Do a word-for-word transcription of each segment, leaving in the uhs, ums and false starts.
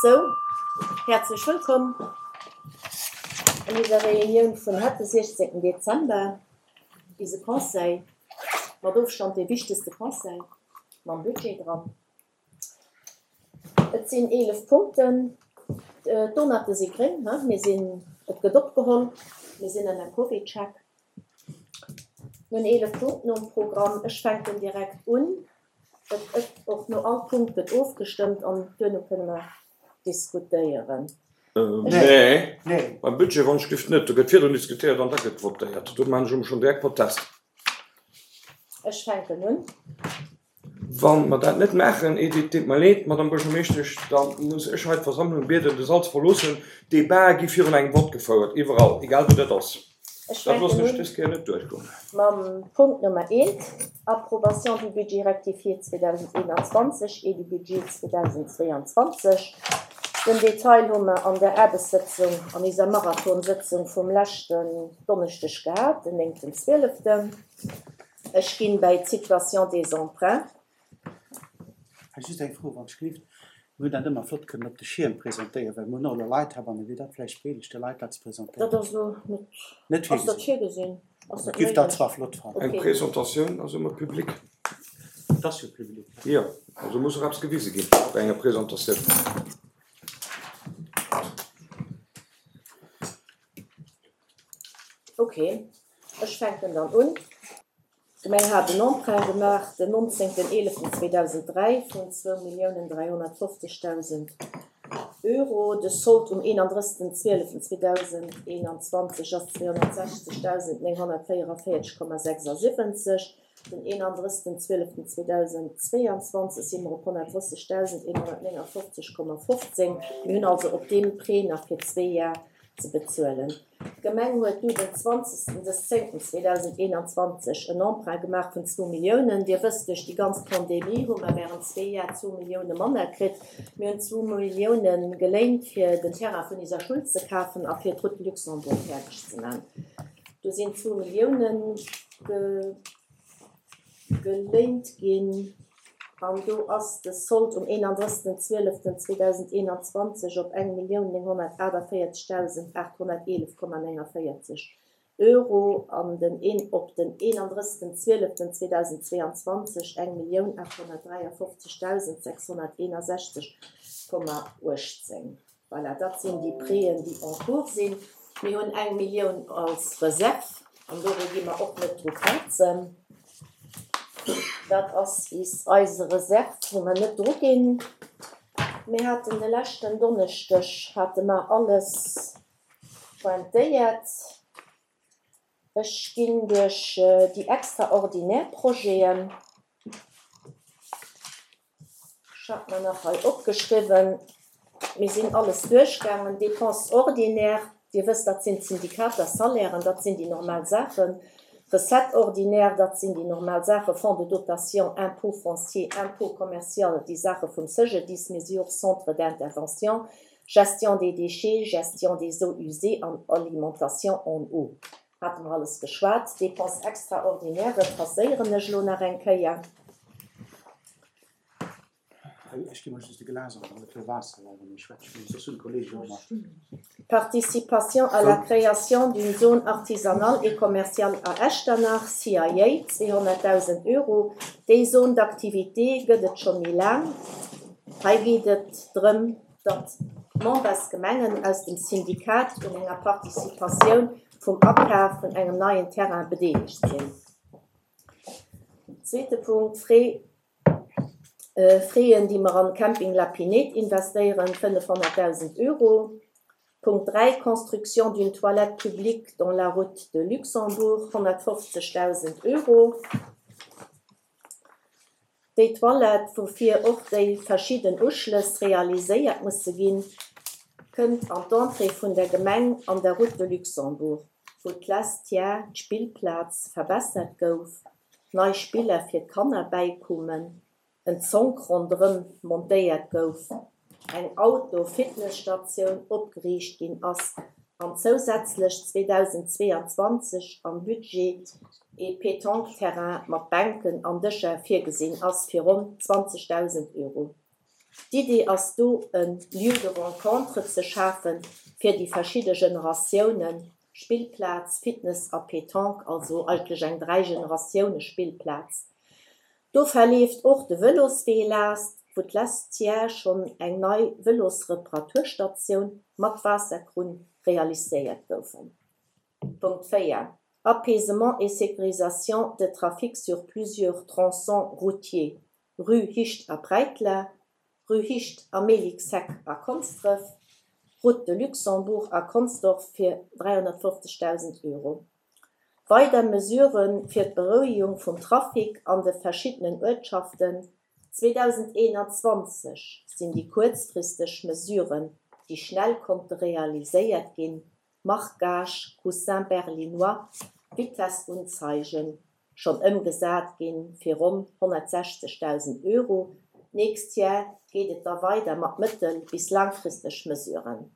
Sou, häerzlech wëllkomm an eiser Reunioun vun haut, de siechzéngten Dezember, eise Conseil, mat Ofstand dee wichtegste Conseil, mam Budget dran. Et sinn eelef Punkten. D'Donate si gréng, he, mir sinn, et gëtt opgeholl, mir sinn ënner CovidCheck. Mir hunn eelef Punkten um Programm. Ech fänken direkt un. Et gëtt och no all Punkt gëtt ofgestëmmt an duerno kënne mer diskutéieren. Nee, beim Budget wann ech giff net. Do gëtt virdrun diskutéiert an da gëtt votéiert. Do maachen ech emol schonn direkt Protest. Ech fänken un. Wa mer dat net maachen, Edith, deet mer leed, Madame Buergermeeschtesch, da muss ech hei d'Versammlung bieden, de Sall ze verloossen. D'Debatë gi virun engem Vott gefouert, iwwerall, egal wou dat ass. Ech Dat loossen fänken ech un dës Kéier net duerchgoen. mam Punkt Nummer eent, Approbation du budget rectifié zweedausendeenanzwanzeg et du budget zweedausendzweeanzwanzeg. Den Detail hu mer an der Aarbechtssëtzung, an eiser Marathonsëtzung vum leschten Donneschdeg gehat, den néngten zwieleften. Ech ginn bäi d'Situation des emprunts. Hei just eng Fro, wann ech gelift. Mir hunn dat ëmmer flott kënnen op de Schierm presentéieren, well mir hunn och elo Leit heibannen. Wier dat vläicht méiglech, de Leit dat ze Dat presentéieren? ass elo net, Net ass dat virgesinn. virgesinn? Ass dat Ech giff dat méiglech? zwar flott fannen. Eng Okay. Presentatioun ass ëmmer public. Et ass jo public. Jo, also muss och eppes gewise ginn bei enger Presentatioun. Okay, ech fänken dann un. D'Gemeng hat en Emprunt gemaach den nonzéngten eeleften zweedausenddräi vun zwou Milliounen dräihonnertfofzegdausend Euro. De Sold um eenandrëssegsten zwieleften zweedausendeenanzwanzeg ass zweehonnertsechzegdausend nénghonnertvéierevéierzeg Komma sechsasiwwenzeg. Den eenandrëssegsten zwieleften zweedausendzweeanzwanzeg si mer op honnertdrëssegdausend eenhonnertnéngafofzeg Komma fofzéng. Mir hunn also op deem Prêt nach fir zwee Jar ze bezuelen. D'Gemeng huet du den zwanzegsten des zéngten zweedausendeenanzwanzeg en Emprunt gemaach vun zwou Milliounen. Dir wësst, duerch déi ganz Pandemie hu mer während zwee Jar zwou Millioune manner kritt. Mir hunn zwou Millioune geléint, fir den Terrain vun eiser Schoul ze kafen a fir d'Route Luxembourg fäerdeg ze maachen. Do sinn zwou Millioune ge-, geléint ginn. An do ass de Sold um eenandrëssegsten zwieleften zweedausendeenanzwanzeg op eng Millioun nénghonnertaachtavéierzegdausend aathonnerteelef Komma néngavéierzeg Euro an den een, op den eenandrëssegsten zwieleften zweedausendzweeanzwanzeg eng Millioun aathonnertdräiafofzegdausend sechshonnerteenasechzeg Komma uechtzéng. Voilà, dat sinn déi Prêten, déi en cours sinn. Mir hunn eng Millioun als Reserve an dore gi mer och net dru krazen. Dat ass is eise Reserve, wou mer net dru ginn. Mir haten de leschten Donneschdeg, hate mer alles pointéiert. Ech ginn duerch déi extraordinär Projeten. Ech hat mir nach hei opgeschriwwen. Mir sinn alles duerchgaangen. Dépenses ordinaires, Dir wësst, dat sinn d'Syndikater, Salairen, dat sinn déi normal Saachen. Recettes ordinaires, dat sinn déi normal Saachen, Fonds de dotation, impôt foncier, impôt commercial, déi Saache vum C G D I S, mesures, centre d'intervention, gestion des déchets, gestion des eaux usées an alimentation en eau. Hate mer alles geschwat. Dépenses extraordinaires passéieren ech elo nach eng Kéier. Ech gi mol just de Glas an, an e puer Waasser, well wann ech schwätzen, soss hunn d'Kollegen och nach. Participation à la création d'une zone artisanale et commerciale à Echternach, C I A, zweehonnertdausend Euro. Déi Zone d'activité gëtt et scho méi laang. Hei geet et drëm, datt d'Membersgemengen aus dem Syndikat un enger Participatioun vum Akaf vun engem neien Terrain bedeelegt sinn. Zweete Punkt, Frais, äh, Frais, déi mer an Camping La Pinette investéieren, fënnefhonnertdausend Euro. Punkt dräi, Construction d'une toilette publique dans la route de Luxembourg, honnertfofzegdausend Euro. Déi Toilette, woufir och déi verschidden Uschlëss realiséiert musse ginn, kënnt an d'Entrée vun der Gemeng an der Route de Luxembourg, wou d'lescht Jahr d'Spillplaz verbessert gouf, nei Spiller fir d'Kanner bäikummen, en Zonk ronderëm montéiert gouf, eng Auto-Fitnessstatioun opgeriicht ginn ass an zousätzlech zweedausendzweeanzwanzeg am Budget e Pétanque-Terrain mat Bänken an Dëscher virgesinn ass fir ronn zwanzegdausend Euro. D'Idee ass do e Lieu de rencontre ze schafe fir déi verschidde Generatiounen, Spillplaz, Fitness a Pétanque, also eigentlech eng Dräi-Generatioune-Spillplaz. Do verleeft och de Vëloswee laascht, wou d'lescht Jar schonn eng nei Vëlosreparaturstatioun mat Waasserkrunn realiséiert goufen. Punkt véier, Apaisement et sécurisation de trafic sur plusieurs tronçons routiers, Rue Hicht a Breitler, Rue Hicht a Melicksheck a Konsdref, Route de Luxembourg a Consdorf fir dräihonnertfofzegdausend Euro. Weider Mesurë fir d'Berouegung vum Trafic an de verschiddenen Uertschaften zweedausendeenanzwanzeg sinn déi kuerzfristeg Mesuren, déi schnell konnte realiséiert ginn, Marquage, Coussin berlinois, Vitessunzeigen, schonn ëmgesat ginn, fir ronn honnertsechzegdausend Euro. D'nächst Jar geet et da weider mat mëttel bis laangfristeg Mesuren.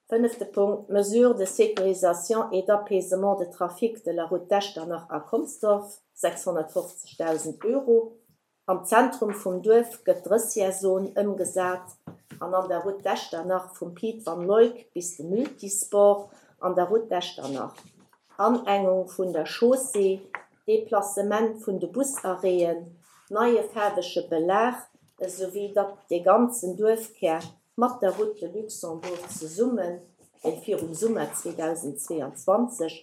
Fënnefte Punkt, Mesures de sécurisation et d'apaisement de trafic de la route d'Echternach à Consdorf, sechshonnertfofzegdausend Euro. Am Zentrum vum Duerf gëtt d'Drësserzon ëmgesat an an der Route d'Echternach vum Piet van Luyk bis de Multisport an der Route d'Echternach. Anengung vun der Chaussée, Deplacement vun de Busarrêten, neie faarwege Belag, esouwéi datt de ganzen Duerfkär mat der Route de Luxembourg zesummen, déi virum Summer zweedausendzweeanzwanzeg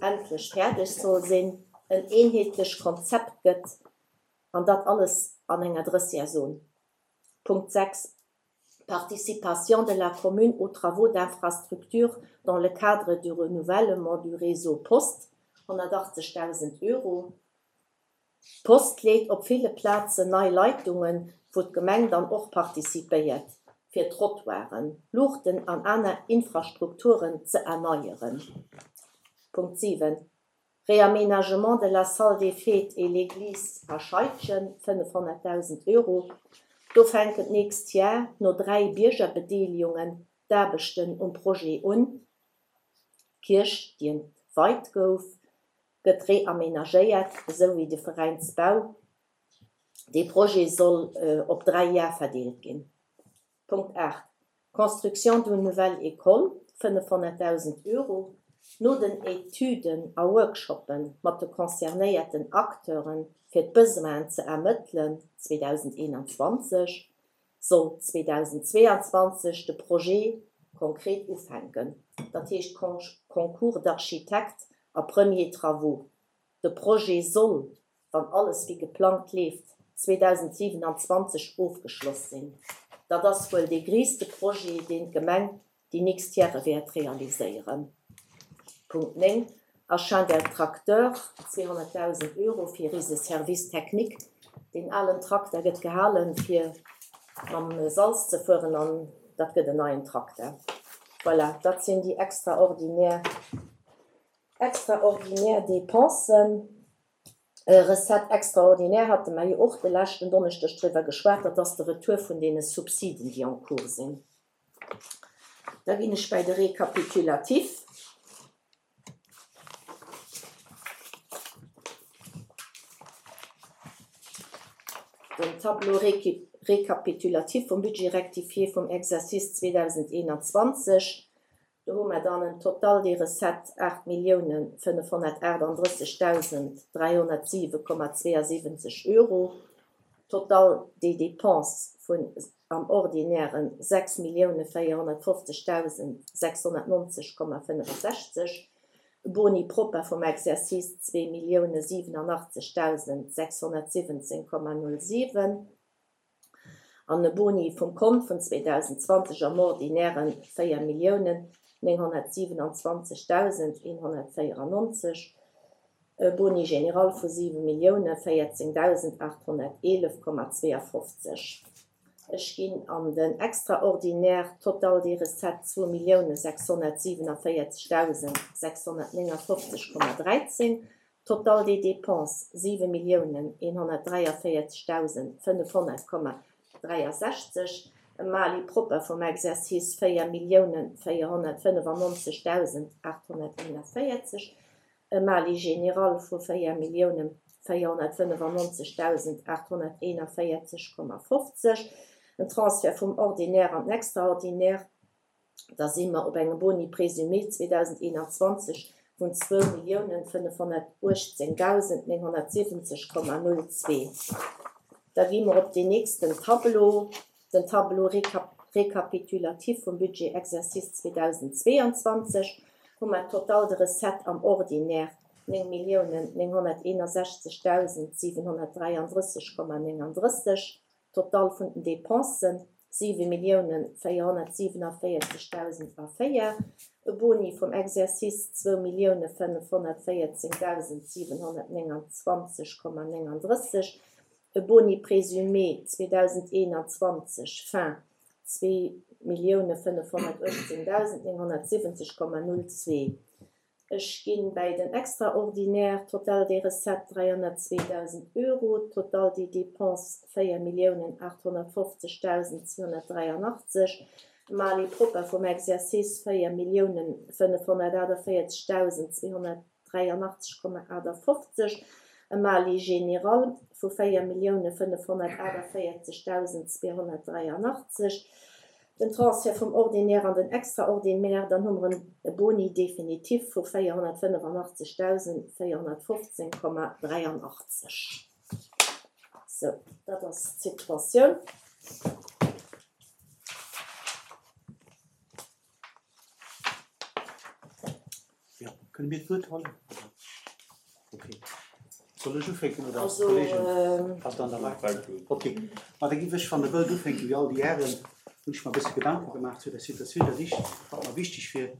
endlech fäerdeg soll sinn, en eenheetlecht Konzept gëtt, an dat alles an enger Drësserzon. Punkt sechs, Participation de la commune aux travaux d'infrastructure dans le cadre du renouvellement du réseau Post, honnertachtzegdausend Euro. D'Post leet op ville Plazen nei Leitungen, wou d'Gemeng dann och participéiert, fir Trottoiren, Luuchten an aner Infrastrukturen ze erneieren. Punkt siwen, Réaménagement de la salle des fêtes et l'église à Scheidgen, fënnefhonnertdausend Euro. Do fänken d'nächst Jar no dräi Biergerbedeelegungen d'Aarbechten um Projet un. D'Kierch, déi entweit gouf, gëtt reamenagéiert, esou wéi de Veräinsbau. Dee Projet soll op dräi Jar verdeelt ginn. Punkt aacht, Construction d'une nouvelle école, fënnefhonnertdausend Euro. No den Etüden a Workshoppe mat de concernéierten Acteure fir d'Besoinen ze ermëttelen zweedausendeenanzwanzeg, soll zweedausendzweeanzwanzeg de Projet konkret ufänken, dat heescht Concours d'architectes a premiers travaux. De Projet soll, wann alles wéi geplangt leeft, zweedausendsiewenanzwanzeg ofgeschloss sinn. Dat ass wuel dee gréisste Projet, deen d'Gemeng déi nächst Jare wäert realiséieren. Punkt néng, Achat d'un tracteur, zweehonnertdausend Euro fir eise Service technique. Deen alen Trakter gëtt gehalen, fir mam Salz ze fueren, an dat gëtt en neien Trakter. Voilà, dat sinn déi extraordinär, extraordinär Dépensen. Recettes extraordinaires hate mer jo och de leschten Donneschdeg driwwer geschwat, dat ass de Retour vun deene Subsiden, déi en cours sinn. Da ginn ech bäi de Récapitulatif. Den Tableau récapitulatif vum Budget rectifié vum Exercice zweedausendeenanzwanzeg. Do hu mer dann en Total des recettes aacht Milliounen fënnefhonnertaachtanddrëssegdausend dräihonnertsiwe Komma zweeënsiwwenzeg Euro. Total des dépenses vun am Ordinären sechs Milliounen véierhonnertfofzegdausend sechshonnertnonzeg Komma fënnefensechzeg. Boni propre vum Exercice zwee Milliounen siwenanachtzegdausend sechshonnertsiwwenzéng Komma null siwen. An e Boni vum Kont vun zweedausendzwanzeg am Ordinären véier Milliounen nénghonnertsiewenanzwanzegdausend eenhonnertvéierannonzeg. E Boni général vu siwe Milliounen véierzéngdausend aathonnerteelef Komma zweeënfofzeg. Ech ginn an den extraordinaire Total des recettes zwou Milliounen sechshonnertsiewenanvéierzegdausend sechshonnertnénganfofzeg Komma dräizéng. Total des dépenses siwe Milliounen eenhonnertdräiavéierzegdausend fënnefhonnert Komma dräiasechzeg. E Mali propre vum Exercice véier Milliounen véierhonnertfënnefannonzegdausend aathonnerteenavéierzeg. E Mali général vu véier Milliounen véierhonnertfënnefannonzegdausend aathonnerteenavéierzeg Komma fofzeg. En Transfert vum Ordinaire an den Extraordinaire, da si mer op engem Boni présumé zweedausendeenanzwanzeg vun zwou Milliounen fënnefhonnertuechtzéngdausend nénghonnertsiwwenzeg Komma null zwee. Da gi mer op deen nächsten Tableau, den Tableau récapitulatif vum Budget exercice zweedausendzweeanzwanzeg, hu mer total de Recettes am Ordinaire néng Milliounen nénghonnerteenasechzegdausend siwenhonnertdräiandrësseg Komma néngandrësseg, total vun den Dépensen siwe Milliounen véierhonnertsiewenavéierzegdausend a véier, e Boni vum Exercice zwou Milliounen fënnefhonnertvéierzéngdausend siwenhonnertnénganzwanzeg Komma néngandrësseg, e Boni présumé zweedausendeenanzwanzeg fin zwee Milliounen fënnefhonnertuechtzéngdausend nénghonnertsiwwenzeg Komma null zwee. Ech ginn bei den Extraordinaire total des recettes dräihonnertzweedausend Euro, total des dépenses véier Milliounen aathonnertfofzegdausend zweehonnertdräianachtzeg, Mali propper vum Exercice véier Milliounen fënnefhonnertaachtavéierzegdausend zweehonnertdräianachtzeg Komma achtafofzeg, e Mali général vu véier Milliounen fënnefhonnertaachtavéierzegdausend zweehonnertdräianachtzeg, den Transfert vum Ordinaire an den Extraordinaire, dann hu mer e Boni définitif vu véierhonnertfënnefannachtzegdausend véierhonnertfofzéng Komma dräianachtzeg. Sou, dat ass d'Situatioun. Jo, kënne mir d'Wuert huelen? Okay. Soll ech ufänken oder Also, Kollegen? Ass dann der Rei? Okay. Ma da giff ech, wann Der wëllt, ufänken, wéi all déi Hären. Hunn ech mer e bësse Gedanke gemaach zu der Situatioun. Dat éischt, wat mer wichteg wier,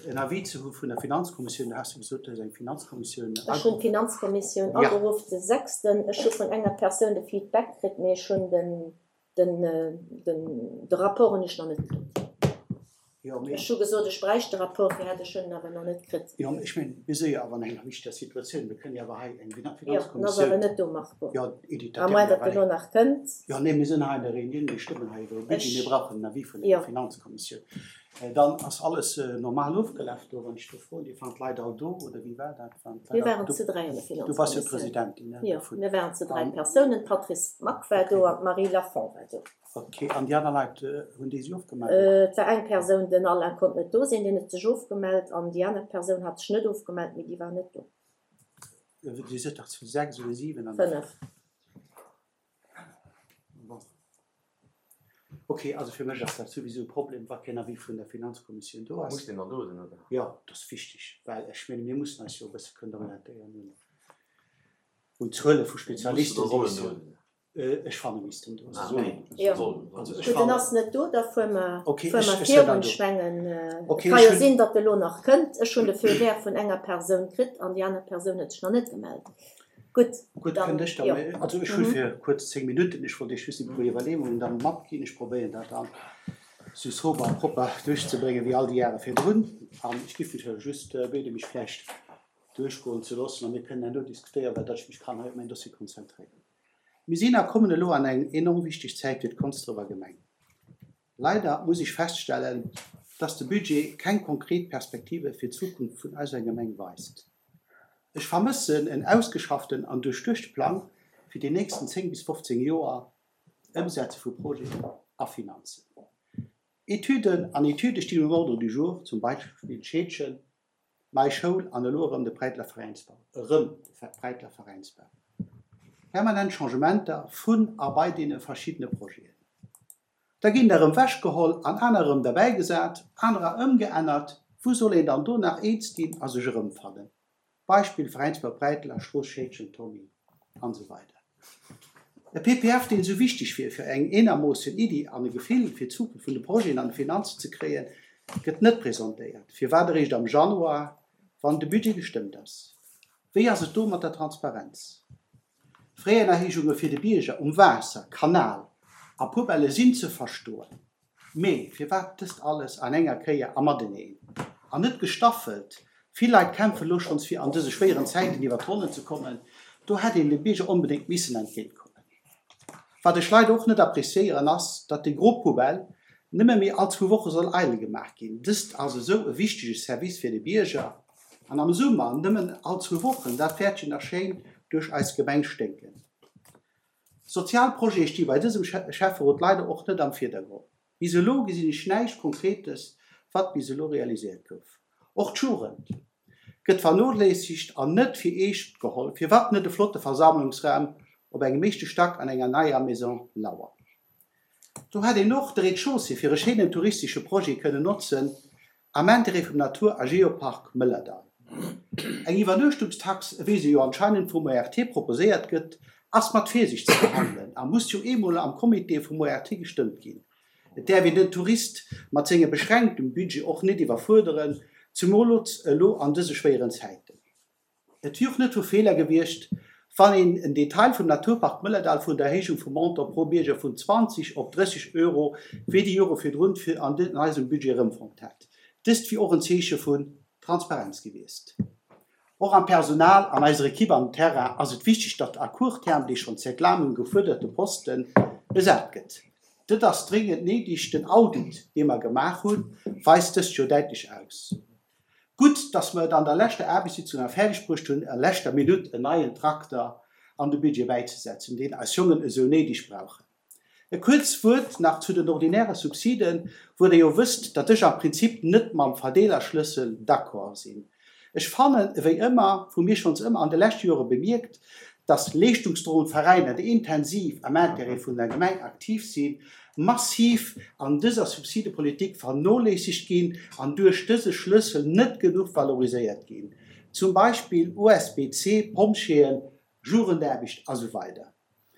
en Avis ze hu vun der Finanzkommissioun. Du has jo gesot, du hues eng Finanzkommissioun Ech hunn d'Finanzkommissioun Ja. ageruff de sechsten. Ech hu vun enger Persoun de Feedback kritt, mee ech hunn den, den, den, de Rapport hunn ech nach net kritt. Jo, mee Ech hu gesot, ech bräicht de Rapport, fir hätt ech hunn en awer nach net kritt. Jo, mee ech mengen, mir si jo awer an enger wichteger Situatioun. Mir kënnen jo awer hei eng Jo, en ass Finanzkommissioun. awer net do, Marco. Jo, Edith, À dat moins, däerf datt e mir lo nach kënnt. Jo, nee, mir sinn hei an der Reunioun, mir stëmmen hei iwwer e Budget, Ech mir brauchen en Avis vun der Jo. Finanzkommissioun. Dann ass alles normal ofgelaf do, wann ech do froen. Dir waren d'Leit all do, oder wéi war dat? Waren d'Leit Mir all waren do? zu dräi an der Du bass jo Finanzkommissioun. Presidentin, ne, Jo, dovun. mir waren zu dräi An Persounen. D'Patrice Mack war do Okay. an d'Marie Lafont war do. Okay, an déi aner Leit, hunn déi sech ofgemellt? Et war eng Persoun, den Alain konnt net do sinn, deen huet sech ofgemellt an déi aner Persoun hat sech net ofgemellt, mee déi war net do. Dir sidd dach zu sechs oder siwen an der Fënnef. Bon. Okay, also fir mech ass dat souwisou e Problem, wa keen Avis vun der Finanzkommissioun do ass. Muss deen dann do sinn, oder? Jo, dat ass wichteg, well ech menge mir mussen eis jo e bësse kënnen orientéieren un un Zuele vu Spezialisten, Muss oder déi sollen eis do jo sinn? Ech fanne missten do sinn. Sollen, Jo. sollen, Also sollen. ech Gutt, en fannen ass net do, da fuere mer, Okay, fuere ech mer ech sinn dann virun. do. Ech mengen, et Okay, ka ech jo hunn sinn, datt e lo nach kënnt. Ech hunn de Feu vert vun enger Persoun kritt an déi aner Persoun huet sech nach net gemellt. Gutt, Gutt, dann, kënnt ech dann, jo. also ech hu Mhm. fir kuerz zéng Minutten, ech wollt Iech just e puer Iwwerleeungen dann matginn. Ech probéieren dat dann sou sober a propper duerchzebréngen wéi all déi Jahre virdrun. An ech giff natierlech just biede mech vläicht duerchgoen ze loossen a mir kënnen herno diskutéieren, well datt ech mech kann hei op mäin Dossier konzentréieren. Mir sinn a kommen elo an eng enorm wichteg Zäit fir d'Konsdrëwer Gemeng. Leider muss ech feststellen, dass de Budget keng konkret Perspektive fir d'Zukunft vun eiser Gemeng weist. Ech vermëssen en ausgeschafften an duerchduechte Plang fir déi nächsten zéng bis fofzéng Joer, Ëmsetze vu Projeten a Finanzen. Etüden an Etüde stinn um Ordre du jour, zum Beispill d'Scheedchen, nei Schoul an elo erëm de Präitler Veräinsbau, erëm de Präitler Veräinsbau. Permanent Changementer vun a bei deene verschiddene Projeten. Da ginn der erëm wechgeholl an aner erëm derbäigesat, anerer ëmgeännert. Wou soll een dann do nach eens ginn a sech erëmfannen? Beispill Veräinsbau Präitler, Strooss Scheedgen, Tommy an esou weider. E P P F, deen esou wichteg wier fir eng eenermoossen Iddi an e Gefill fir d'Zukunft vun de Projeten an de Finanzen ze kréien, gëtt net presentéiert. Firwat eréischt am Januar, wann de Budget gestëmmt ass? Wéi ass et do mat der Transparenz? Fréiererheeschunge fir de Bierger um Waasser, Kanal a Poubelle sinn ze verstoen. Mee firwat dëst alles an enger Kéier a mateneen? An net gestaffelt. Vill Leit kämpfe lo schonns fir an dëse schwéieren Zäiten iwwer d'Ronnen ze kommen. Do hätt een dem Bierger onbedéngt missen entgéintkommen. Wat ech leider och net appréciéieren ass, datt déi gro Poubelle nëmme méi all zwou Woche soll eidel gemaach ginn. Dëst ass esou e wichtege Service fir de Bierger. An am Summer nëmmen all zwou Wochen, dat wäert jo nach schéin duerch eis Gemeng sténken. Sozial Projete sti bei dësem Schäfferot leider och net am Virdergrond. Bis elo gesinn ech näischt Konkretes, wat bis elo realiséiert gouf. Och d'Jugend gëtt vernoléissegt an net fir eescht geholl. Firwat net e flotte Versammlungsraum op engem éischte Stack an enger neier Maison Lauer? Do hätt een och de Rez-de-chaussée fir e schéinen touristesche Projet kënnen notzen, am Interêt vum Natur a Geopark Mëllerdall. Eng Iwwernuechtungstax, ewéi se jo anscheinend vum ORT proposéiert gëtt, ass mat Virsicht ze behandelen a muss jo eemol am Comité vum ORT gestëmmt ginn. Et däerf een den Tourist mat sengem beschränktem Budget och net iwwerfuerderen, zemools elo an dëse schwéieren Zäiten. Et wier och net vu Feeler gewiescht, wann een en Detail vum Naturpark Mëllerdall vun der Erhéijung vum Montant pro Bierger vun zwanzeg op drësseg Euro wéi déi Jore virdrun fir an eisem Budget erëmfonnt hätt. Dëst wier och en Zeeche vun Transparenz gewiescht. Och am Personal, an eiser Ekipp am Terrain ass et wichteg, datt à court terme dee schonn säit laangem gefuerderte Poste besat gëtt. Dat ass dringend néideg. Den Audit, dee mer gemaach hunn, weist dëst jo däitlech aus. Gutt, datt mer et an der leschter Aarbechtssitzung nach fäerdeg bruecht hunn, a leschter Minutt en neien Trakter an de Budget bäizesetzen, deen eis Jongen esou néideg brauchen. E kuerzt Wuert nach zu den ordinäre Subsiden, wou Der jo wësst, datt ech am Prinzip net mam Verdeelerschlëssel d'accord sinn. Ech fannen, ewéi ëmmer, vu mir schonns ëmmer an de leschte Jore bemierkt, datt leeschtungsdroend Veräiner, déi intensiv am Intérêt vun der Gemeng aktiv sinn, massiv an dëser Subsidepolitik vernoléissegt ginn an duerch dëse Schlëssel net genuch valoriséiert ginn, zum Beispill U S B C, Pompjeeën, Jugendaarbecht a sou weider.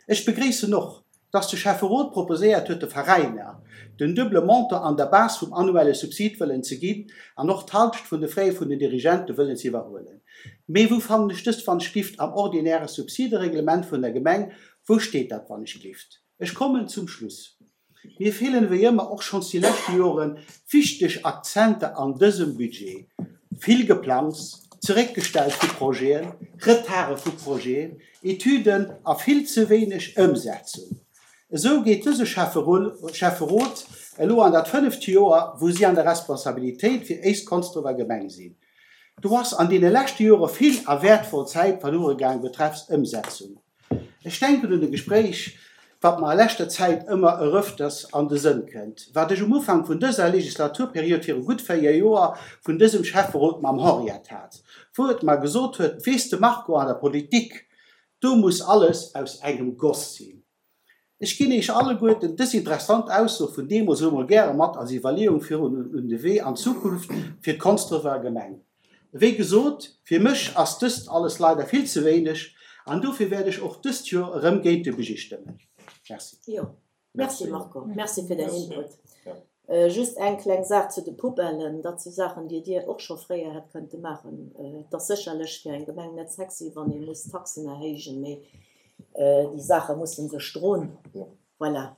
Ech begréissen och, dass de Schäfferot proposéiert huet, de Veräiner den duebele Montant an der Base vum annuelle Subsid wëllen ze ginn an och d'Halschent vun de Frais vun den Dirigente wëllen ze iwwerhuelen. Mee wou fannen ech dëst wannechgelift am ordinäre Subsidereglement vun der Gemeng? Wou steet dat wannechgelift? Ech kommen zum Schluss. Mir feelen ewéi ëmmer, och schonns déi leschte Joren, wichteg Akzenter an dësem Budget. Vill Geplangs, Zeréckgestellt vu Projeten, Retarde vu Projeten, Etüden a vill ze wéineg Ëmsetzung. Esou geet dëse Schäfferot elo an dat fënneft Joer, wou si an der Responsabilitéit fir éis Konsdrefer Gemeng sinn. Do ass an deene leschte Jore vill a wäertvoll Zäit verluere gaang betreffs Ëmsetzung. Ech denken un e Gespréich, wat mer a leschter Zäit ëmmer erëfters an de Sënn kënnt, wat ech um Ufank vun dëser Legislaturperiod viru gutt véier Joer vun dësem Schäfferot mam Henriette hat, wou et mer gesot huet, Weess de Marco, an der Politik, do muss alles aus engem Goss sinn. Ech ginn Iech alleguerten dës interessant Ausso vun deemools elo mol gäre mat als Iwwerleeung fir un de Wee an d'Zukunft fir d'Konsdrefer Gemeng. Wéi gesot, fir mech ass dëst alles leider vill ze wéineg an dofir wäert ech och dëst Joer erëm géint de Budget stëmmen. Merci. Jo, merci Marco, merci fir däin Input. Just eng kleng Saach zu de Poubellen, dat si Saachen, déi Dir och scho fréier hätt kënnte maachen. Et ass sécherlech fir eng Gemeng net sexy, wann ee muss Taxen erhéijen, mee déi Saache musse sech droen. Voilà.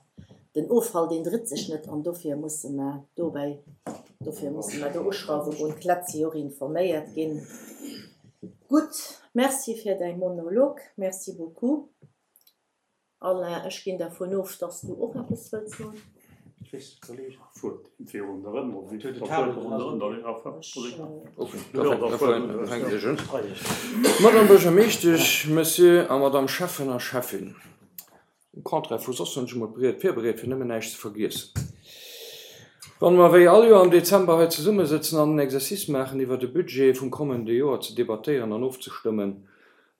Den Offall, deen drit sech net an dofir musse mer dobäi, dofir musse mer do uschrauwe goen. D'Leit si och informéiert ginn. Gutt, merci fir däi Monolog. Merci beaucoup. Alain, ech ginn dervun of, dass du och eppes wëlls soen. Madame Buergermeeschtesch, Monsieur a Madame Schäffen a Schäffin, um Contraire vu soss hunn ech emol d'Ried virbereet, fir nëmmen näischt ze vergiessen. Wann mer wéi all Joer am Dezember hei zesummesëtzen an en Exercice maachen iwwer de Budget vum kommende Joer ze debattéieren an ofzestëmmen,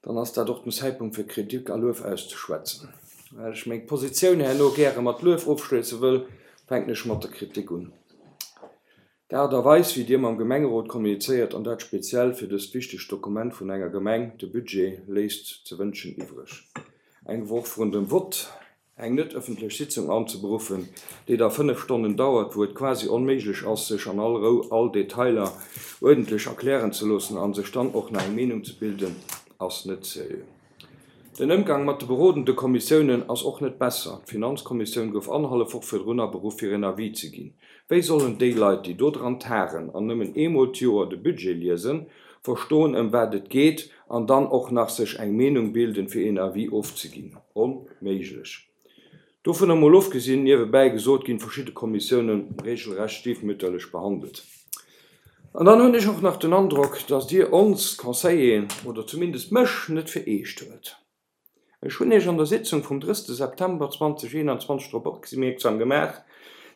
dann ass dat och den Zäitpunkt fir Kritik a Luef auszeschwätzen. Well ech meng Positioun herno gäre mat Luef ofschléisse wëll, fänken ech mat der Kritik un. D'Aart a Weis, wéi Dir mam Gemengerot kommunizéiert, an dat speziell fir dëst wichtegt Dokument vun enger Gemeng, de Budget, léisst ze wënschen iwwreg. Eng Woch vrun dem Vott eng net ëffentlech Sitzung anzeberuffen, déi da fënnef Stonnen dauert, wou et quasi onméiglech ass, sech an all Rou all Detailer uerdentlech erklären ze loossen a sech dann och nach eng Meenung ze bilden, ass net seriö. Den Ëmgang mat de berodende Kommissiounen ass och net besser. D'Finanzkommissioun gouf annerhallef Woch virdrun aberuff fir en Avis ze ginn. Wéi sollen déi Leit, déi do dran taren an nëmmen eemol d'Joer de Budget liesen, verstoen ëm wat et geet an dann och nach sech eng Meenung bilden fir een Avis ofzeginn? Onméiglech. Dovunner mol ofgesinn, niewebäi gesot, ginn verschidde Kommissiounen regelrecht stiefmütterlech behandelt. An dann hunn ech och nach den Androck, dass Dir ons Conseilleren, oder zumindest mech, net fir eescht huelt. Ech hunn Iech an der Sitzung vum drësste September zweedausendeenanzwanzeg drop opmierksam gemaach,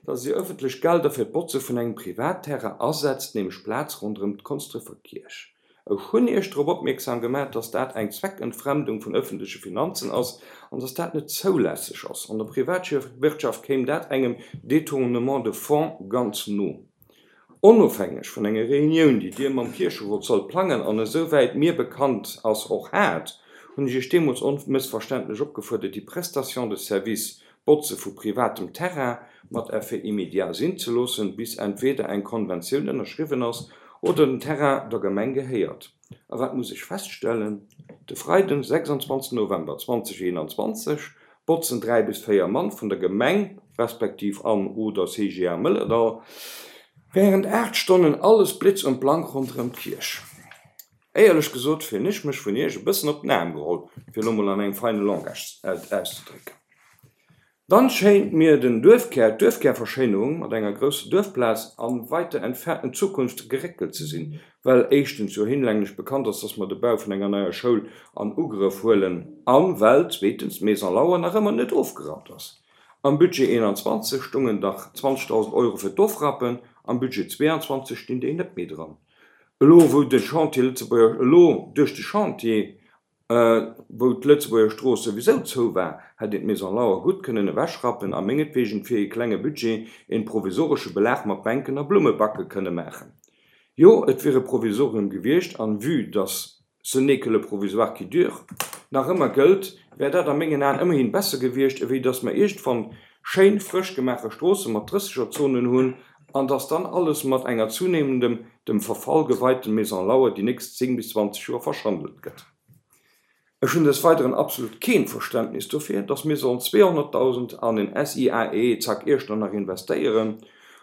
dass Dir ëffentlech Gelder fir d'Botze vun engem Privatterrain asetzt, nämlech d'Plaz ronderëm d'Konsdrefer Kierch. Ech hunn Iech drop opmierksam gemaach, dass dat eng Zweckentfremdung vun ëffentleche Finanzen ass an dass dat net zoulässeg ass. An der Privatwirtschaft kéim dat engem Détournement de fonds ganz no. Onofhängeg vun enger Reunioun, déi Dir mam Kiercherot sollt plangen an esouwäit mir bekannt ass och hat, hunn ech Iech deemools onmëssverständlech opgefuerdert, déi Prestation de service Botze vu privatem Terrain mat Effet immédiat sinn ze loossen, bis entweder eng Konventioun ënnerschriwwen ass oder den Terrain der Gemeng gehéiert. A wat muss ech feststellen? De Freiden, sechsundzwanzegsten November zweedausendeenanzwanzeg botzen dräi bis véier Mann vun der Gemeng, respektiv an oder C G A Mëllerdall, während aacht Stonnen alles blitz und blank ronderëm d'Kierch. Éierlech gesot fillen ech mech vun Iech e bëssen op den Aarm geholl, fir elo mol an engem feine Langage auszedrécken. Dann schéint mir den Duerfkär, d'Duerfkärverschéinerung mat enger grousser Duerfplaz an weiter entfernten Zukunft geréckelt ze sinn, well éischtens jo hinlänglech bekannt ass, dass mer de Bau vun enger neier Schoul an Ugrëff huelen an well zweetens d'Maison Lauer nach ëmmer net ofgerappt ass. Am Budget eenanzwanzeg stungen dach zwanzegdausend Euro fir d'Ofrappen, am Budget zweeanzwanzeg stinn déi net méi dran. Elo wou de Chantier Lëtzebuerger, elo duerch de Chantier, wou d'Lëtzebuerger Strooss souwisou zou war, hätt een d'Maison Lauer gutt kënnen ewechrappen a mengetwegen fir ee klenge Budget een provisoresche Belag mat Bänken a Blummebacke kënne maachen. Jo, et wier e Provisorium gewiescht an vue dass ce n'est que le provisoire qui dure nach ëmmer gëllt, wär dat a mengen Aen ëmmerhin besser gewiescht, ewéi dass mer iergendwann schéin frësch gemaache Stroosse mat Drëssegerzonen hunn an dass dann alles mat enger zunehmendem dem Verfall geweiten Maison Lauer déi nächst zéng bis zwanzeg Joer verschandelt gëtt. Ech hunn des Weideren absolut keen Verständnis dofir, dass mir sollen zweehonnertdausend an en S I A E Zack Iechternach investéieren,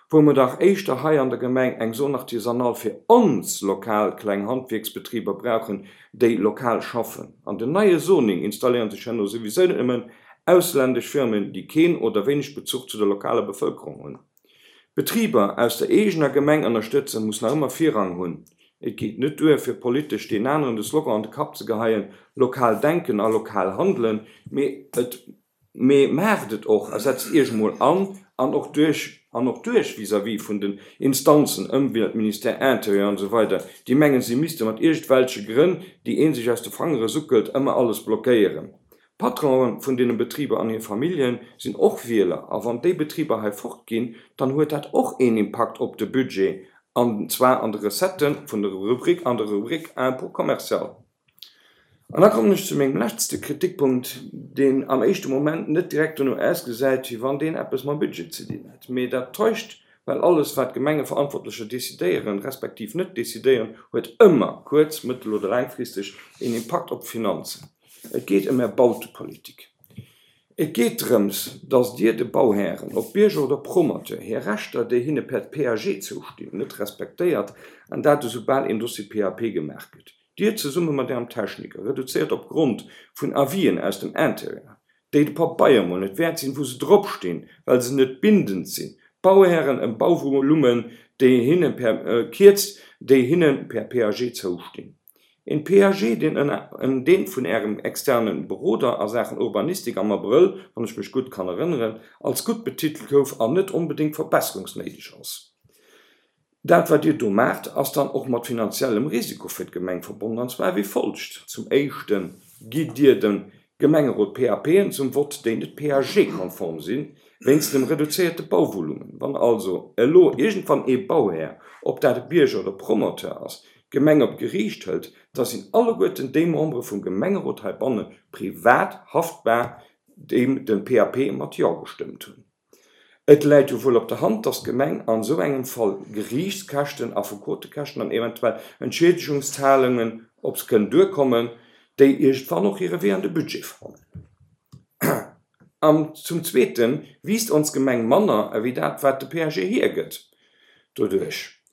wou mer dach éischter hei an der Gemeng eng Zone artisanale fir ons lokal kleng Handwierksbetriber brauchen, déi lokal schaffen. An den neie Zoning installéieren sech herno souwisou net nëmmen ausländesch Firmen, déi keen oder wéineg Bezuch zu der lokaler Bevëlkerung hunn. Betriber aus der eegener Gemeng ënnerstëtzen, muss nach ëmmer Virrang hunn. Et geet net duer, fir politesch deen aneren de Slogan an de Kapp ze geheien, lokal denken a lokal handelen, mee et mee maacht et och a setzt Iech emol an an och duerch an och duerch vis-à-vis vun den Instanzen, Ëmweltministère, Intérieur an esou weider, déi mengen, si misste mat iergendwelche Grënn, déi ee sech aus de Fangere suckelt, ëmmer alles blockéieren. D'Patronen vun deene Betriber an hir Famillje sinn och Wieler a wann déi Betriber hei fortginn, dann huet dat och een Impakt op de Budget an zwar an de Recettë vun der Rubrik an der Rubrik Impôt commercial. An da kommen ech zu mengem letzte Kritikpunkt, deen am éischte Moment net direkt dono ausgesäit, wéi wann deen eppes mam Budget ze dinn hätt. Mee dat täuscht, well alles wat Gemengeverantwortlecher decidéieren, respektiv net decidéieren, huet ëmmer kuerz-, mëttel oder laangfristeg een Impakt op d'Finanzen. Et geet ëm Är Bautepolitik. Et geet drëms, dass Dir de Bauhären, ob Bierger oder Promoteur, hir Rechter, déi hinne per P A G zoustinn, net respektéiert, an dat esoubal een Dossier P A P gemaach gëtt. Dir zesumme mat Ärem Techniker reduzéiert op Grond vun Avisen aus dem Intérieur, déi de Pabeier mol net wäert sinn, wou se dropstinn, well se net bindend sinn, d'Bauhären ëm Bauvolummen, déi hinne per kierzt, déi hinne per P A G zoustinn. Een P A G, deen ënner deen vun Ärem externe Beroder a Saachen Urbanistik am Abrëll, wann ech mech gutt kann erënneren, als gutt betitelt gouf an net onbedéngt verbesserungsnéideg ass. Dat wat Dir do maacht, ass dann och mat finanziellem Risiko fir d'Gemeng verbonnen, an zwar wéi folgt, Zum éischte gitt Dir dem Gemengerot P A P'en zum Vott, déi net P A G-konform sinn, wéinst dem reduzéierte Bauvolumen. Wann also elo iergendwann ee Bauhär, ob dat e Bierger oder Promoteur ass, d'Gemeng op d'Geriicht hëlt, da sinn alleguerten déi Membere vum Gemengerot heibanne privat haftbar, déi de P A P mat Jo gestëmmt hunn. Et läit jo wuel op der Hand, dass d'Gemeng an esou engem Fall Geriichtskäschten, Affekotekäschten an eventuell Entschiedegungszahlungen op se kënnen duerkommen, déi iergendwann och hire Wee an de Budget fannen. An zum Zweete wiisst ons Gemeng manner ewéi dat, wat de P A G hiergëtt. Doduerch,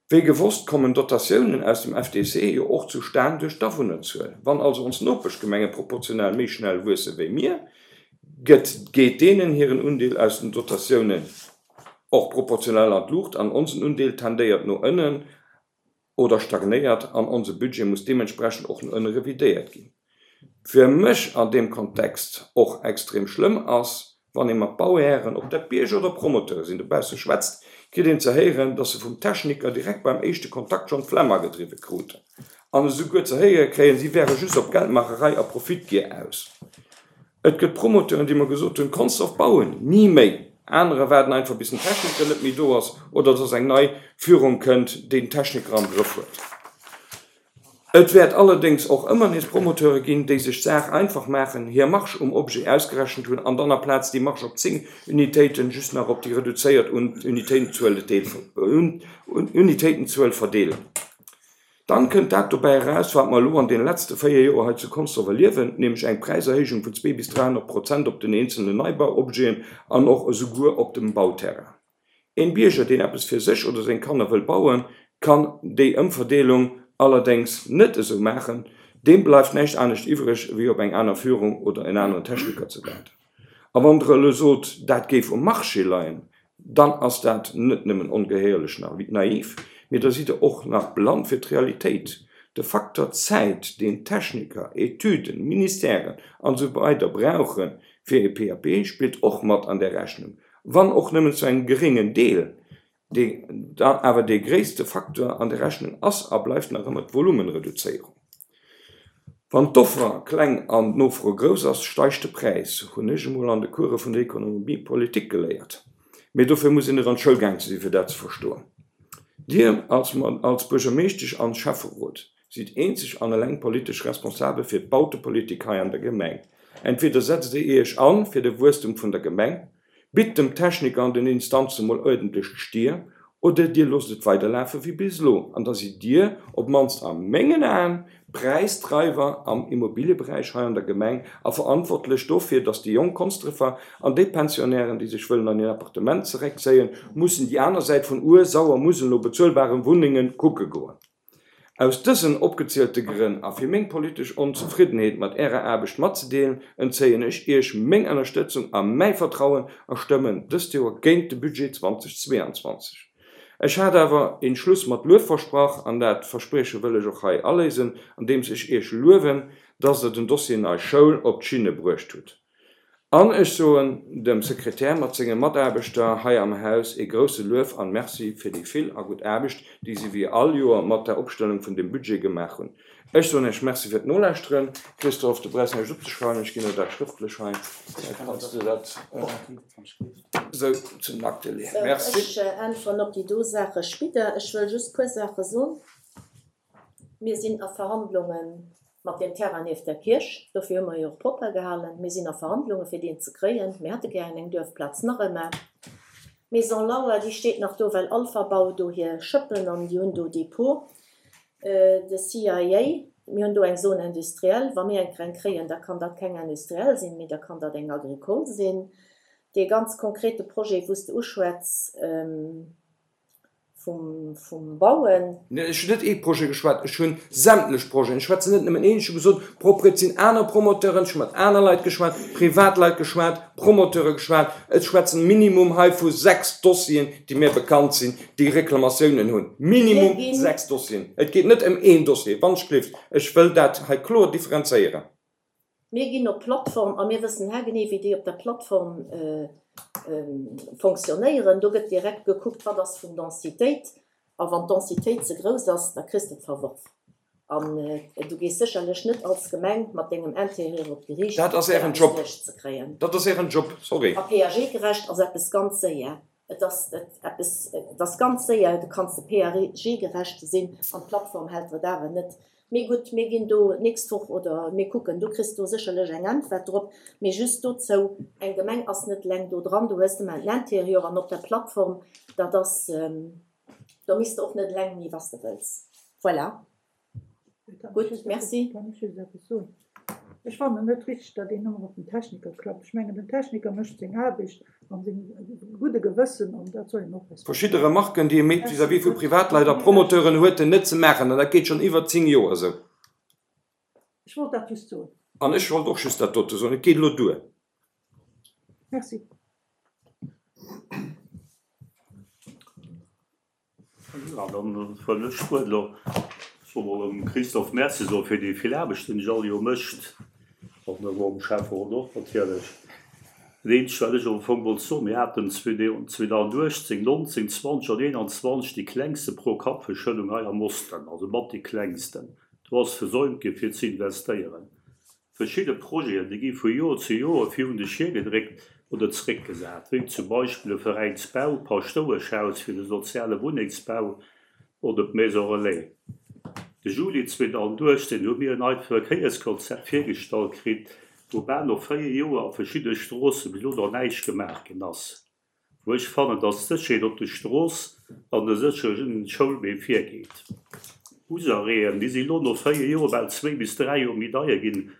wéi gewosst, kommen Dotatiounen aus dem F D C jo och zustan duerch d'Awunnerzuel. Wann also ons Nopeschgemenge proportionell méi schnell wuesse wéi mir, gëtt geet deenen hiren Undeel aus den Dotatiounen och proportionell an d'Luucht an onsen Undeel tendéiert no ënnen. oder stagnéiert an onse Budget muss deementsprechend och no ënne revidéiert ginn. Fir mech an deem Kontext och extrem schlëmm ass, wann ee mat Bauhären, ob dat Bierger oder Promoteure sinn, dobausse schwätzt, kritt een ze héieren, dass se vum Techniker direkt beim éischte Kontakt schonn d'Flemm agedriwwe kruten an esouguer ze héiere kréien, si wäre just op Geldmaacherei a Profitgier aus. Et gëtt Promoteuren, déi mer gesot hunn, Consdorf bauen, ni méi. Anerer waarden einfach, bis den Techniker net méi do ass oder dass eng nei Führung kënnt, déi den Techniker am Grëff huet. Et wäert allerdéngs och ëmmer nees Promoteure ginn, déi sech d'Saach einfach maachen, hir Marge um Objet ausgerechent hunn an dann aplaz déi Marge op zéng Unitéiten just nach op déi reduzéiert Unitéitenzuel verdeelen. Dann kënnt dat dobäi eraus, wat mer elo an deene letzte véier Joer hei zu Consdorf erliewen, nämlech eng Präiserhéijung vun zwee bis dräihonnert Prozent op den eenzelnen Neibauobjeten an och esouguer op dem Bauterrain. Een Bierger, deen eppes fir sech oder seng Kanner wëll bauen, kann déi Ëmverdeelung allerdéngs net esou maachen. Deem bleift näischt anescht iwwreg, wéi op eng aner Führung oder en aneren Techniker ze waarden. A wann Der elo sot, dat géif um Marché leien, dann ass dat net nëmmen ongehéierlech naiv, mee da sidd Der och nach blann fir d'Realitéit. De Facteur Zäit, deen Techniker, Etüden, Ministèren an esou weider brauche fir e P A P, spillt och mat an där Rechnung, wann och nëmmen zu engem geréngen Deel. Awer dee gréisste Facteur an der Rechnung ass a bleift nach ëmmer d'Volumenreduzéierung. Wann d'Offer kleng an d'Nofro grouss ass, steigt de Präis, hunn ech emol an de Course vun der Économie politique geléiert. Mee dofir muss een net an d'Schoul gaang ze sinn, fir dat ze verstoen. Dir als als Buergermeeschtesch an Schäfferot sidd eenzeg an eleng politesch responsabel fir d'Bautepolitik hei an der Gemeng. Entweder setzt Dir Iech an fir de Wuesstem vun der Gemeng, bitt dem Techniker an den Instanze mol uerdentlech d'Stier, oder Dir loosst et weiderlafe wéi bis elo, an da sidd Dir, op d'mannst a mengen Aen, Präisdreiwer am Immobilieberäich hei an der Gemeng a verantwortlech dofir, dass déi jonk Konsdrefer an déi Pensionnairen, déi sech wëllen an hiert Appartement zeréckzéien, mussen déi aner Säit vun Our, Sauer, Musel no bezuelbare Wunnenge kucke goen. Aus dësen opgezielte Grënn a fir meng politesch Onzefriddenheet mat Ärer Aarbecht matzedeelen, entzéien ech Iech meng Ënnerstëtzung a mäi Vertrauen a stëmmen dëst Joer géint de Budget zweitausendzweiundzwanzeg. Ech hat awer een Schluss mat Luef versprach an dat Versprieche wëll ech och hei aléisen, andeems ech Iech luewen, dass Der den Dossier Nei Schoul op d'Schinne bruecht hutt. An ech soen dem Sekretär mat senge Mataarbechter hei am Haus ee grousse Luef an Merci fir déi vill a gutt Aarbecht, déi si wéi all Joer mat der Opstellung vun dem Budget gemaach hunn. Ech soen Iech Merci fir d'Nolauschteren. Christophe, du brauchs näischt opzeschreiwen, ech ginn der dat schrëftlech hei. Da kanns du dat esou zum Akte leeën. Merci. Ech äntweren op déi do Saache spidder. Ech wëll just puer Saache soen. Mir sinn a Verhandlungen mat dem Terrain nieft der Kierch, dofir hu mer jo och propper gehalen. Mir sinn a Verhandlunge fir deen ze kréien. Mir hätte gären eng Duerfplaz nach ëmmer. Maison Lauer, déi steet nach do, well Alpha Bau do hir Schëppen an déi hunn do Depot. De C I A, mir hunn do eng Zone industrielle. Wa mir eng eng kréien, da kann dat keng industriell sinn, mee da kann dat eng agricole sinn. Dee ganz konkrete Projet, wou s de uschwätz, vum, vum Bauen. Nee, ech hunn net ee Projet geschwat, ech hunn sämtlech Projeten. Ech schwätzen net nëmmen een, ech hu gesot, propre, et sinn aner Promoteuren, ech hu mat aner Leit geschwat, Privatleit geschwat, Promoteure geschwat. Ech schwätzen Minimum hei vu sechs Dossieren, déi mir bekannt sinn, déi Reklamatiounen hunn. Minimum Mir ginn sechs Dossieren. Et geet net ëm een Dossier, wann ech gleeft. Ech wëll dat hei kloer differenzéieren. Mir ginn op Plattform a mir wëssen haargenee, wéi déi op der Plattform, äh, ähm, fonctionnéieren. Do gëtt direkt gekuckt, wat ass vun Densitéit. A wann d'Densitéit ze grouss ass, da kriss du d'Verworf. An, äh, du gees sécherlech net als Gemeng mat dengem Interieur op d'Geriicht, Dat ass ären fir Job. eppes duerch ze kréien. Dat ass ären Job, sorry. A P A G-gerecht ass eppes ganz séier. Et ass et eppes, et ass ganz séier, du kanns de P A G-gerecht sinn an d'Plattform hält et awer net. Mee gutt, mir ginn do nächst Woch oder mir kucken, du kriss do sécherlech eng Äntwert drop, mee just dozou, eng Gemeng ass net leng do dran, du hues ëmmer en Interieur an op der Plattform, dat ass, ähm, da misst du och net leng nie, was du wëlls. Voilà. Gut, merci. Kann ich just etwas soen? Ech fand net richtig, datt een ëmmer op den Techniker klappt. Ech mengen, den Techniker mécht seng Aarbecht an seng gudde Gewëssen an dat soll een och respektieren. Verschiedene Remarken, déi e mécht vis-à-vis vu Privatleit a Promoteuren huet en net ze maachen, an dat geet schon iwwer zéng Joer esou. Ech wollt dat just soen. An ech wollt och just dat dote soen, et geet elo duer. Merci. Jo, dann huelen ech d'Wuert elo. Ech wollt mol dem Christophe Merci soe fir déi vill Aarbecht, déi en sech all Joer mécht, an elo dem Schäfferot och natierlech. Dat eenzegt, wat ech am Fong wollt soen, Mir haten zweedausendachtzéng, nonzéng, zwanzeg an eenanzwanzeg déi klengste Pro-Kapp-Verschëldung hei am Osten, also mat déi klengsten. Do ass versäumt gi fir ze investéieren. Verschidde Projeten, déi gi vu Joer zu Joer virun de Schier gedréckt oder zeréckgesat, wéi zum Beispill e Veräinsbau, d'Paschtoueschhaus fir de soziale Wunnengsbau oder d'Maison relais. De Juli zweedausenduechtzéng hu mir en neit Verkéierskonzept virgestallt kritt, wou bal no véier Joer a verschiddene Stroosse bis elo nach näischt gemaach ginn ass. Wou ech fannen, dass d'Sécherheet op der Strooss an de séchere Schoulwee virgeet. D'Busarrêten, déi si elo no véier Joer bal zwee bis dräi Joer méi deier ginn.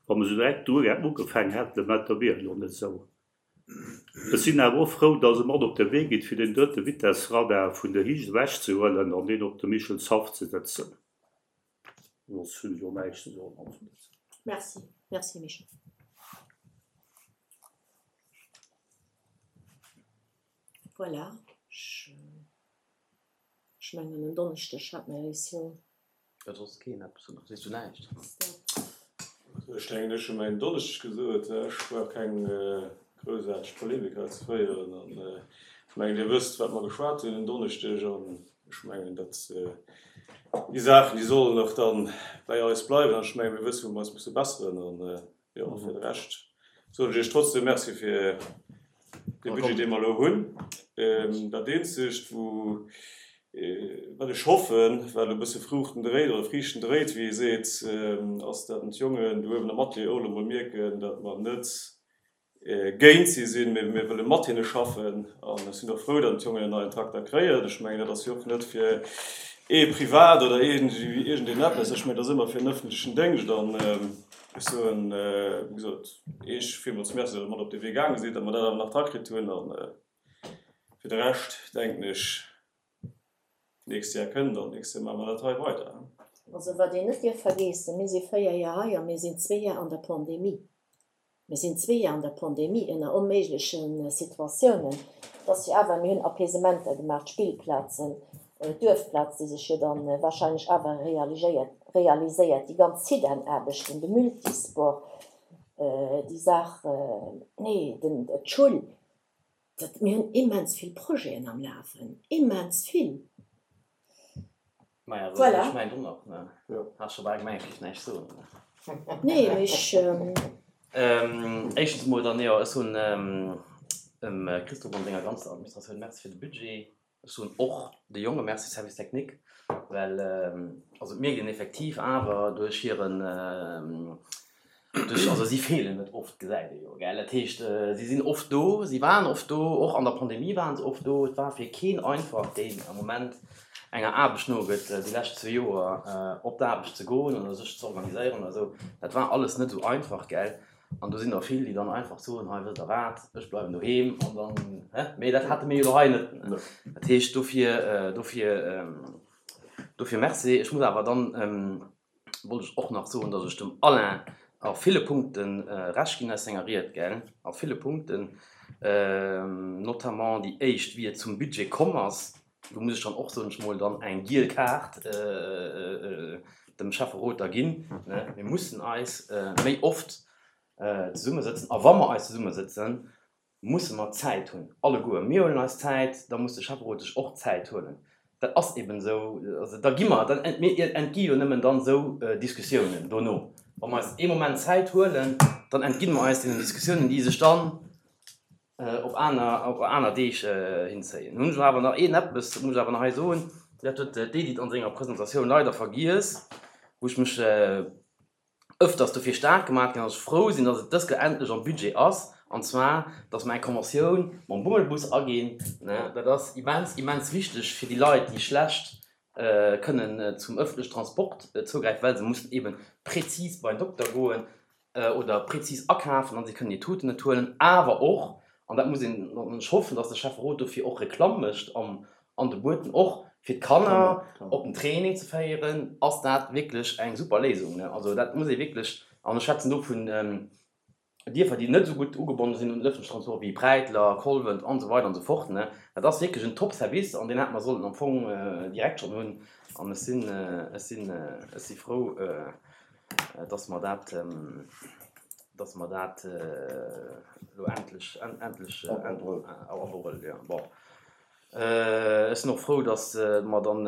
Wa mer esou direkt do ugefaangen hätten, da wier et elo net esou. Ech sinn awer och frou, dass e mat op de Wee geet, fir den drëtte Vitessradar vun der Hiecht ewechzehuelen an deen op de Michelshaff ze sëtzen. Soss hunn ech och näischt ze soen. Merci. Merci, Michel. Voilà. Ech mengen, en Donneschdeg hat mer eis jo. Huet soss keen eppes oder sees du näischt? Ech denken, ech hu mäin Donneschdeg gesot, ech brauch keng groussaarteg Polemik hei ze féieren. An ech mengen, Dir wësst, wat mer geschwat hunn en Donneschdeg. An ech mengen, datt déi Saachen, déi sollen och dann bäi eis bleiwen. An ech mengen, mir wëssen, wou mer eis musse besseren. An jo, fir de Rescht soen ech Iech trotzdem Merci fir dee Budget, dee mer elo hunn. Dat Eenzegt, wou Wat ech hoffen, wat elo e bësse Fruuchten dréit, oder Friichten dréit, wéi ee seet, ass, datt d'Jongen do uewen am Atelier och elo mol mierken, datt mer net géint si sinn, mee mir wëlle mat hinne schaffen. An ech sinn och frou, datt d'Jongen en neien Trakter kréien. Ech mengen, dat ass jo och net fir ee privat oder iergendeen eppes. Ech mengen, dat ass ëmmer fir den ëffentlechen Déngscht. An ech soen, wéi gesot, Iech villmools Merci, datt Der mat op dee Wee gaange sidd, datt mer dat awer nach drakritt hunn. A fir de Rescht, denken ech, D'nächst Jar kënnt an d'nächst Jar maache mer dat hei weider. Also wat een net dierf vergeessen, mir si véier Jar hei a mir sinn zwee Jar an der Pandemie. Mir sinn zwee Jar an der Pandemie ënner onméigleche Situatiounen. Et ass jo awer, mir hunn Apaisementer gemaach, d'Spillplazen, d'Duerfplaz, déi sech jo da wahrscheinlech awer realiséiert, realiséiert, déi ganz Zidane-Aarbechten, de Multisport, déi Saach, nee, den, d'Schull. Dat, mir hunn immens vill Projeten am Lafen, immens vill. Maja, soss Voilà. ech mengt och nach, ne? Has scho bal gemengt, ech géif näischt soen, ne? Nee, mee ech. Éischtens emol dann, jo, ech soen dem Christophe an senger ganzer Administratioun Merci fir de Budget. Ech soen och de Jonge Merci, Service technique, well also et mierkt een effektiv awer duerch hiren, duerch, also si feelen net oft, gesäit ee jo, gell. Dat heescht, si sinn oft do, si waren oft do, och an der Pandemie waren se oft do. Et war fir keen einfach, deen am Moment enger Aarbecht nogëtt, déi lescht zwee Joer op d'Aarbecht ze goen oder sech ze organiséieren oder esou. Dat war alles net esou einfach, gell. An do sinn der vill, déi dann einfach soen, hei, wësst Der wat, ech bleiwen doheem an dann, hä? Mee dat hate mir jo elo hei net. Dat heescht, dofir, dofir, dofir Merci. Ech muss awer dann, wollt ech och nach soen, datt ech dem Alain a ville Punkte Recht ginn aus senger Ried, gell, a ville Punkten, notamment déi éischt, wéi et zum Budget komm ass. Do muss ech dann och, soen ech mol, dann eng giel Kaart dem Schäfferot da ginn. Mir mussen eis méi oft zesummesëtzen. A wa mer eis zesummesëtzen, musse mer Zäit hunn, alleguer. Mir huelen eis Zäit, da muss de Schäfferot sech och Zäit huelen. Dat ass eben esou. Also da gi mer, dann, mir entgi jo nëmmen dann esou Diskussiounen dono. Wa mer eis ee Moment Zäit huelen, dann entgi mer eis deenen Diskussiounen, déi sech dann op aner, op aner Deeg hinzéien. Nun hunn ech awer nach een eppes, dat muss ech awer nach hei soen, dat huet d'Edith an senger Presentatioun leider vergiess, wou ech mech ëfters dofir staark gemaach ginn, datt ech frou sinn, datt et dës Kéier endlech am Budget ass, an zwar, datt mer eng Conventioun mam Bummelbus aginn. Dat ass immens, immens wichteg fir déi Leit, déi schlecht kënnen zum ëffentlechen Transport zougräifen, well se mussen eebe prezis bei den Dokter goen oder prezis akafen an si kënnen hir Tuten net huelen. Awer och, an dat muss een, an ech hoffen, datt de Schäfferot dofir och Reklamm mécht an de Bueten, och fir d'Kanner op den Training ze féieren, ass dat wierklech eng super Léisung. Also dat muss ee wierklech, an ech schwätzen do vun Dierfer, déi net esou gutt ugebonne sinn un den öffentlichen Transport, wéi Präitler, Kolwent an esou weider an esou fort, ne. Dat ass wierklech en Top-Service an deen hätte mer sollen am Fong direkt schonn hunn. An ech sinn, ech sinn, ech si frou, dass mer dat, dass mer dat elo endlech, endlech am Abrëll, jo. Bon, ech sinn och frou, dass mer dann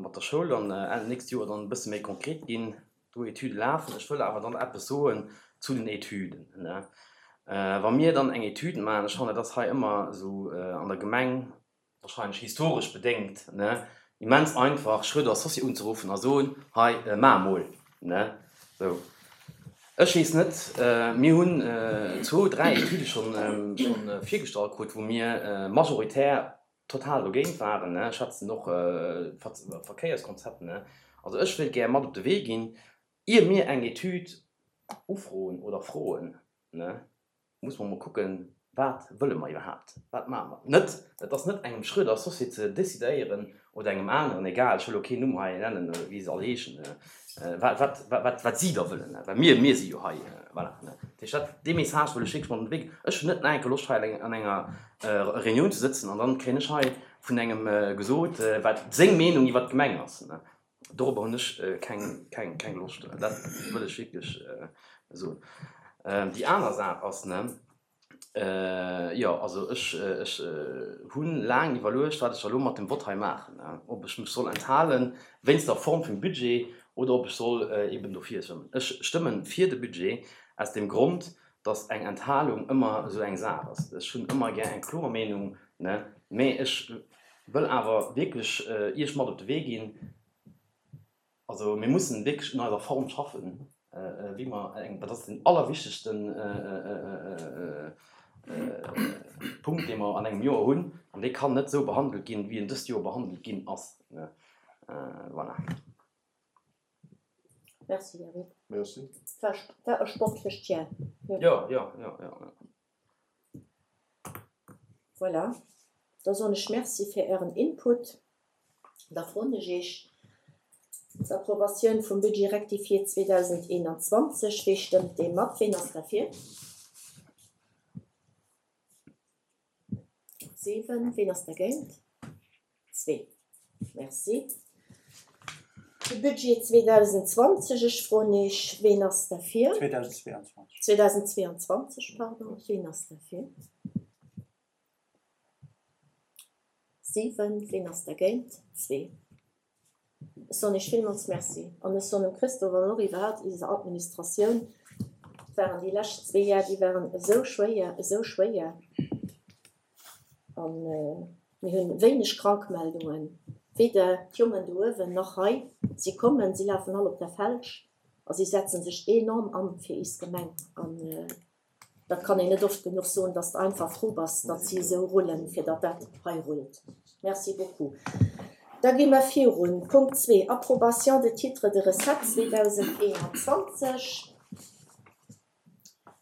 mat der Schoul dann Enn nächst Joer dann e bësse méi konkret ginn. Do Etüde lafen. Ech wëll awer dann eppes soen zu den Etüden. Wa mir dann eng Etüd maachen, ech fannen, dat ass hei ëmmer esou an der Gemeng, wahrscheinlech historesch bedéngt, immens einfach, Schröder Associés unzeruffen a soen, hei, maach emol. Sou. Ech weess net, mir hunn zwou, dräi Etüde schonn virgestallt krut, wou mir majoritär total dogéint waren. Ech schwätzen och Verkéierskonzept. Also ech wéilt gär mat op de Wee ginn, ier mir eng Etüd ufroen oder froen, muss mer emol kucken, wat wëlle mer iwwerhaapt, wat maache mer. Net, et ass net engem Schröder Associé ze decidéieren oder engem aneren, egal, ech wëll elo keen Numm hei nennen, wéi se all heeschen, wat, wat, wat, wat si da wëllen, well mir, mir si jo hei, voilà. Dat heescht, dat, dee Message wëll ech wierklech mat op de Wee ginn. Ech hunn net nach eng Kéier Loscht, hei an enger Reunioun ze sëtzen an dann kréien ech hei vun engem gesot, wat seng Meenung iwwert d'Gemeng ass. Dorobber hunn ech keng, keng, keng Loscht. Dat wëll ech wierklech soen. Déi aner Saach ass, ne, jo, also ech, ech hu laang iwwerluecht, wat ech da elo mat dem Vott hei maachen, ob ech mech soll enthalen wéinst der Form vum Budget oder ob ech soll eeben dofir stëmmen. Ech stëmmen fir de Budget aus deem Grond, dass eng Enthalung ëmmer esou eng Saach ass. Ech hunn ëmmer gär eng kloer Meenung, ne, mä ech wëll awer wierklech Iech mat op de Wee ginn, Also mir mussen wierklech un eiser Form schaffen, wéi mer eng, dat ass den allerwichtegsten Punkt, dee mer an engem Joer hunn, an dee kann net esou behandelt ginn, wéi en dëst Joer behandelt ginn ass. Voilà. Merci, Eric. Merci. War, war e sportlecht Jahr. Jo, jo, jo, jo. Voilà. Da soen ech Merci fir Ären Input. Da froen ech Iech d'Approbatioun vum Budget rectifié zweedausendeenanzwanzeg. Wee stëmmt deem mat? Ween ass derfir? Siwen. Ween ass dergéint? Zwee. Merci. De Budget zweedausendzwanzeg, ech froen Iech, ween ass derfir? Zweedausendzweeanzwanzeg. Zweedausendzweeanzwanzeg, pardon. Ween ass derfir? Siwen. Ween ass dergéint? Zwee. Ech soen Iech villmools Merci an ech soen dem Christophe an och iwwerhaapt iser Administratioun, et waren déi lescht zwee Jar, déi waren esou schwéier, esou schwéier a mir hunn wéineg Krankmeldungen, weder d'Jongen do uewen nach hei. Si kommen, si lafen all op der Felsch a si setze sech enorm an fir is Gemeng an Dat kann een net oft genuch soen, dass de einfach frou bass, datt si esou rullen, fir datt dat hei rullt. Merci beaucoup. Da gi mer virun. Punkt zwee, Approbation de titres de recettes zweedausendeenanzwanzeg.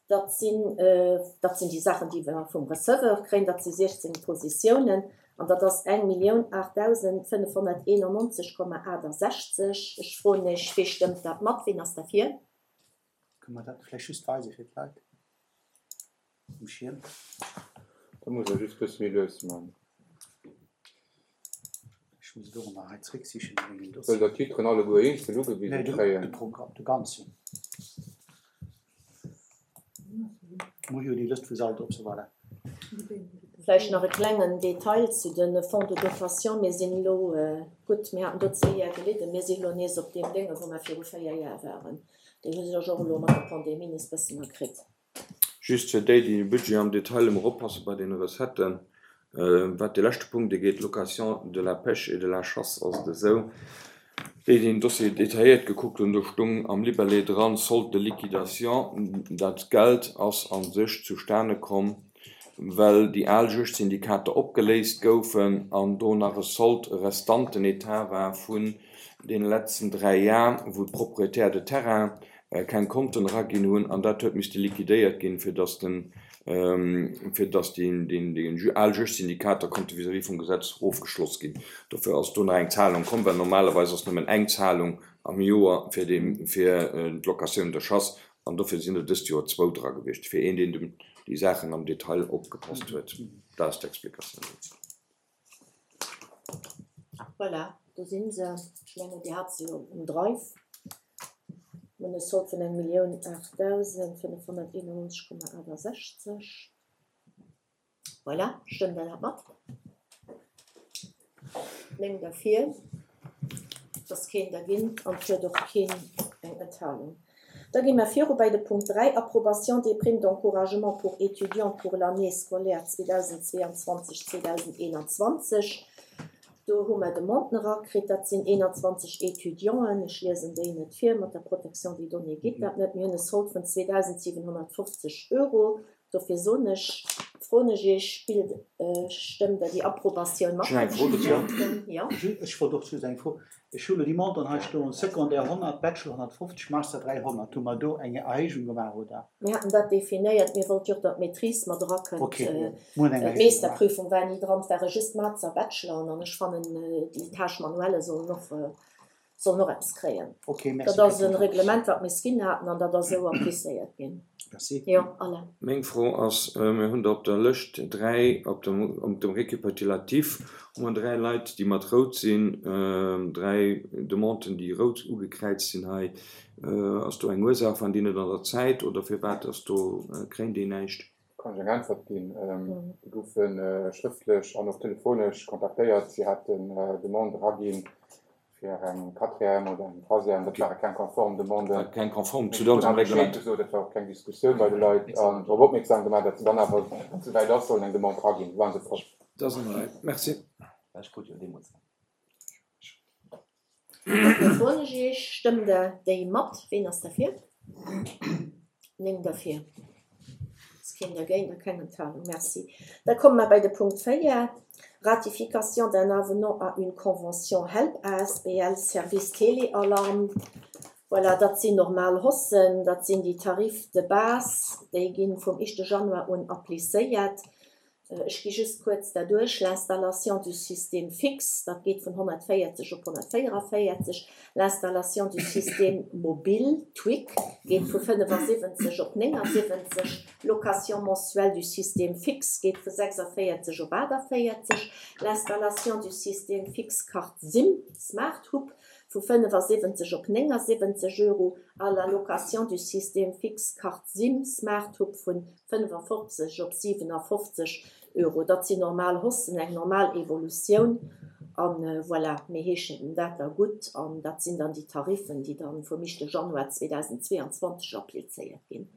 Dat sinn, dat sinn déi Saachen, déi mer vum Receveur kréien. Dat si siechzéng Positiounen an dat ass eng Millioun aachtdausend fënnefhonnerteenannonzeg Komma aachtasechzeg. Ech froen Iech, Wee stëmmt dat mat? Ween ass derfir? Kënne mer dat vläicht just weise fir d'Leit um Schierm? Da muss der just e bësse méi lues man. Ech muss et och ëmmer hei zrécksichen a mengem Wëllt Dossier. der d'Titren alleguer eenzel ugewise Nee, de, kréien? de Programm, de ganzen. Mer hu jo déi Lëscht vu Saldo op, voilà. Vläicht nach e klengen Detail zu de Fonds de dotation. Mir sinn elo, gutt, mir haten do zwee Jar gelidden, mir sinn elo nees op deem Dénge wou mer viru véier Jar waren. Déi hu sech och elo mat der Pandemie nees bëssen erkritt. Just fir déi, déi de Budget am Detail emol oppasse bei deene Recetten, wat dee leschte Punkt ugeet, Location de la pêche et de la chasse, ass et esou, déi, déi den Dossier detailléiert gekuckt hunn, do stung am Libellé dran, Solde de liquidation. Dat Geld ass a sech zustane komm, well déi al Juegdsyndikater opgeléist goufen an do nach e Solde restant, en Etat war vun deene letzten dräi Jar, wou d'Propriétaires de terrain keng Konten eraginn hunn an dat huet misste liquidéiert ginn, fir dass den, fir dass déi, déi al Juegdsyndikater konnte vis-à-vis vum Gesetz ofgeschloss ginn. Dofir ass do nach eng Zahlung komm, well normalerweis ass nëmmen eng Zahlung am Joer fir déi, fir d'Locatioun de chasse An dofir sinn der dëst Joer zwou dra gewiescht, fir een, deen dem déi Saachen am Detail opgepasst huet. Dat ass d'Explikatioun dozou. Voilà, do si se. Ech mengen, Dir hat se jo um Drive. Mir hunn e Solde vun eng Millioun aachtdausend fënnefhonnerteenannonzeg Komma achttasechzeg. Voilà, stëmmt Der dat mat? Néng derfir, et ass keen dergéint an et huet och keen eng Enthalung. Da gi mer viru bei de Punkt dräi, Approbation des primes d'encouragement pour étudiants pour l'année scolaire zweedausendzweeanzwanzeg, zweedauseneenanzwanzeg. Do hu mer Demanden erakritt, dat sinn eenanzwanzeg Étudianten. Ech liesen déi net vir, mat der Protection des données geet dat net. Mir hunn e Solde vun zweedausentsiwenhonnertfofzeg Euro. Dofir soen ech, froen ech Iech, spillt, stëmmt Der déi Approbatioun mat? Ech hunn eng Fro dozou. Jo. Ech wollt och just eng Fro. Ech hu lo déi Montanten hei stoen, Secondaire honnert, Bachelor honnertfofzeg, Master dräihonnert. Hu mer do eng Erhéijung gemaach, oder? Mir haten dat definéiert. Mir wollte jo och, datt d'Maîtrise mat erakënnt. Ok, mir hunn eng Erhéijung gemaach. D'Meeschterprüfung war ni dran, et ware just Master a Bachelor. An ech fannen, déi Tâches manuelles sollen och sollen och eppes kréien. Ok, merci Dat ass fir e d'Antwort. Reglement, wat mir ginn haten, an dat ass esou applizéiert ginn. Merci. Jo, Alain. Meng Fro ass, mir hunn do op der Lëscht dräi, op dem, op dem Récapitulatif hu mer dräi Leit, déi mat rout sinn, dräi Demanden, déi rout ugekräizt sinn hei. Ass do eng Ursaach, waren déi net an der Zäit oder firwat ass do, kréien déi näischt? Kann ech eng Äntwert ginn? Déi goufe schrëftlech an och telefonesch kontaktéiert. Si haten Demande eraginn fir eng Quatrième oder eng Troisième. Dat ware keng konform Demanden. Keng konform zu Mir hunn onsem awer Bescheed Reglement. gesot, et war och keng Diskussioun bei de Leit an drop opmierksam gemaach, datt se dann awer, wann et souwäit ass, sollen eng Demande eraginn. Do waren se frou. Dat ass an der Rei. Merci. Ech krut jo deemools eng. Dofir froen ech Iech, Stëmmt Der déi mat? Ween ass derfir? Néng derfir. Ass keen dergéint a keng Enthalung. Merci. Da komme mer bei de Punkt véier, Ratification d'un avenant à une convention HELP A S B L Service Téléalarme. Voilà, dat sinn normal Haussen, dat sinn déi Tarifs de base, déi gi vum éischte Januar un applizéiert. Ech gi just kuerz dat duerch. L'installation du système fixe, dat geet vun honnertvéierzeg op honnertvéierevéierzeg. L'installation du système mobile, Twig, geet vu fënnefasiwwenzeg op néngasiwwenzeg. Location mensuelle du système fixe geet vu sechsaféierzeg op aachtavéierzeg. L'installation du système fixe carte SIM, Smart Hub, vu fënnefasiwwenzeg op néngasiwwenzeg Euro a la location du système fixe carte SIM, Smart Hub vun fënnefafofzeg op siwenafofzeg Euro. Dat sinn normal Haussen, eng normal Evolutioun. An voilà, mir heeschen dat da gutt an dat sinn dann déi Tariffen, déi dann vum éischte Januar zweedausendzweeanzwanzeg applizéiert ginn.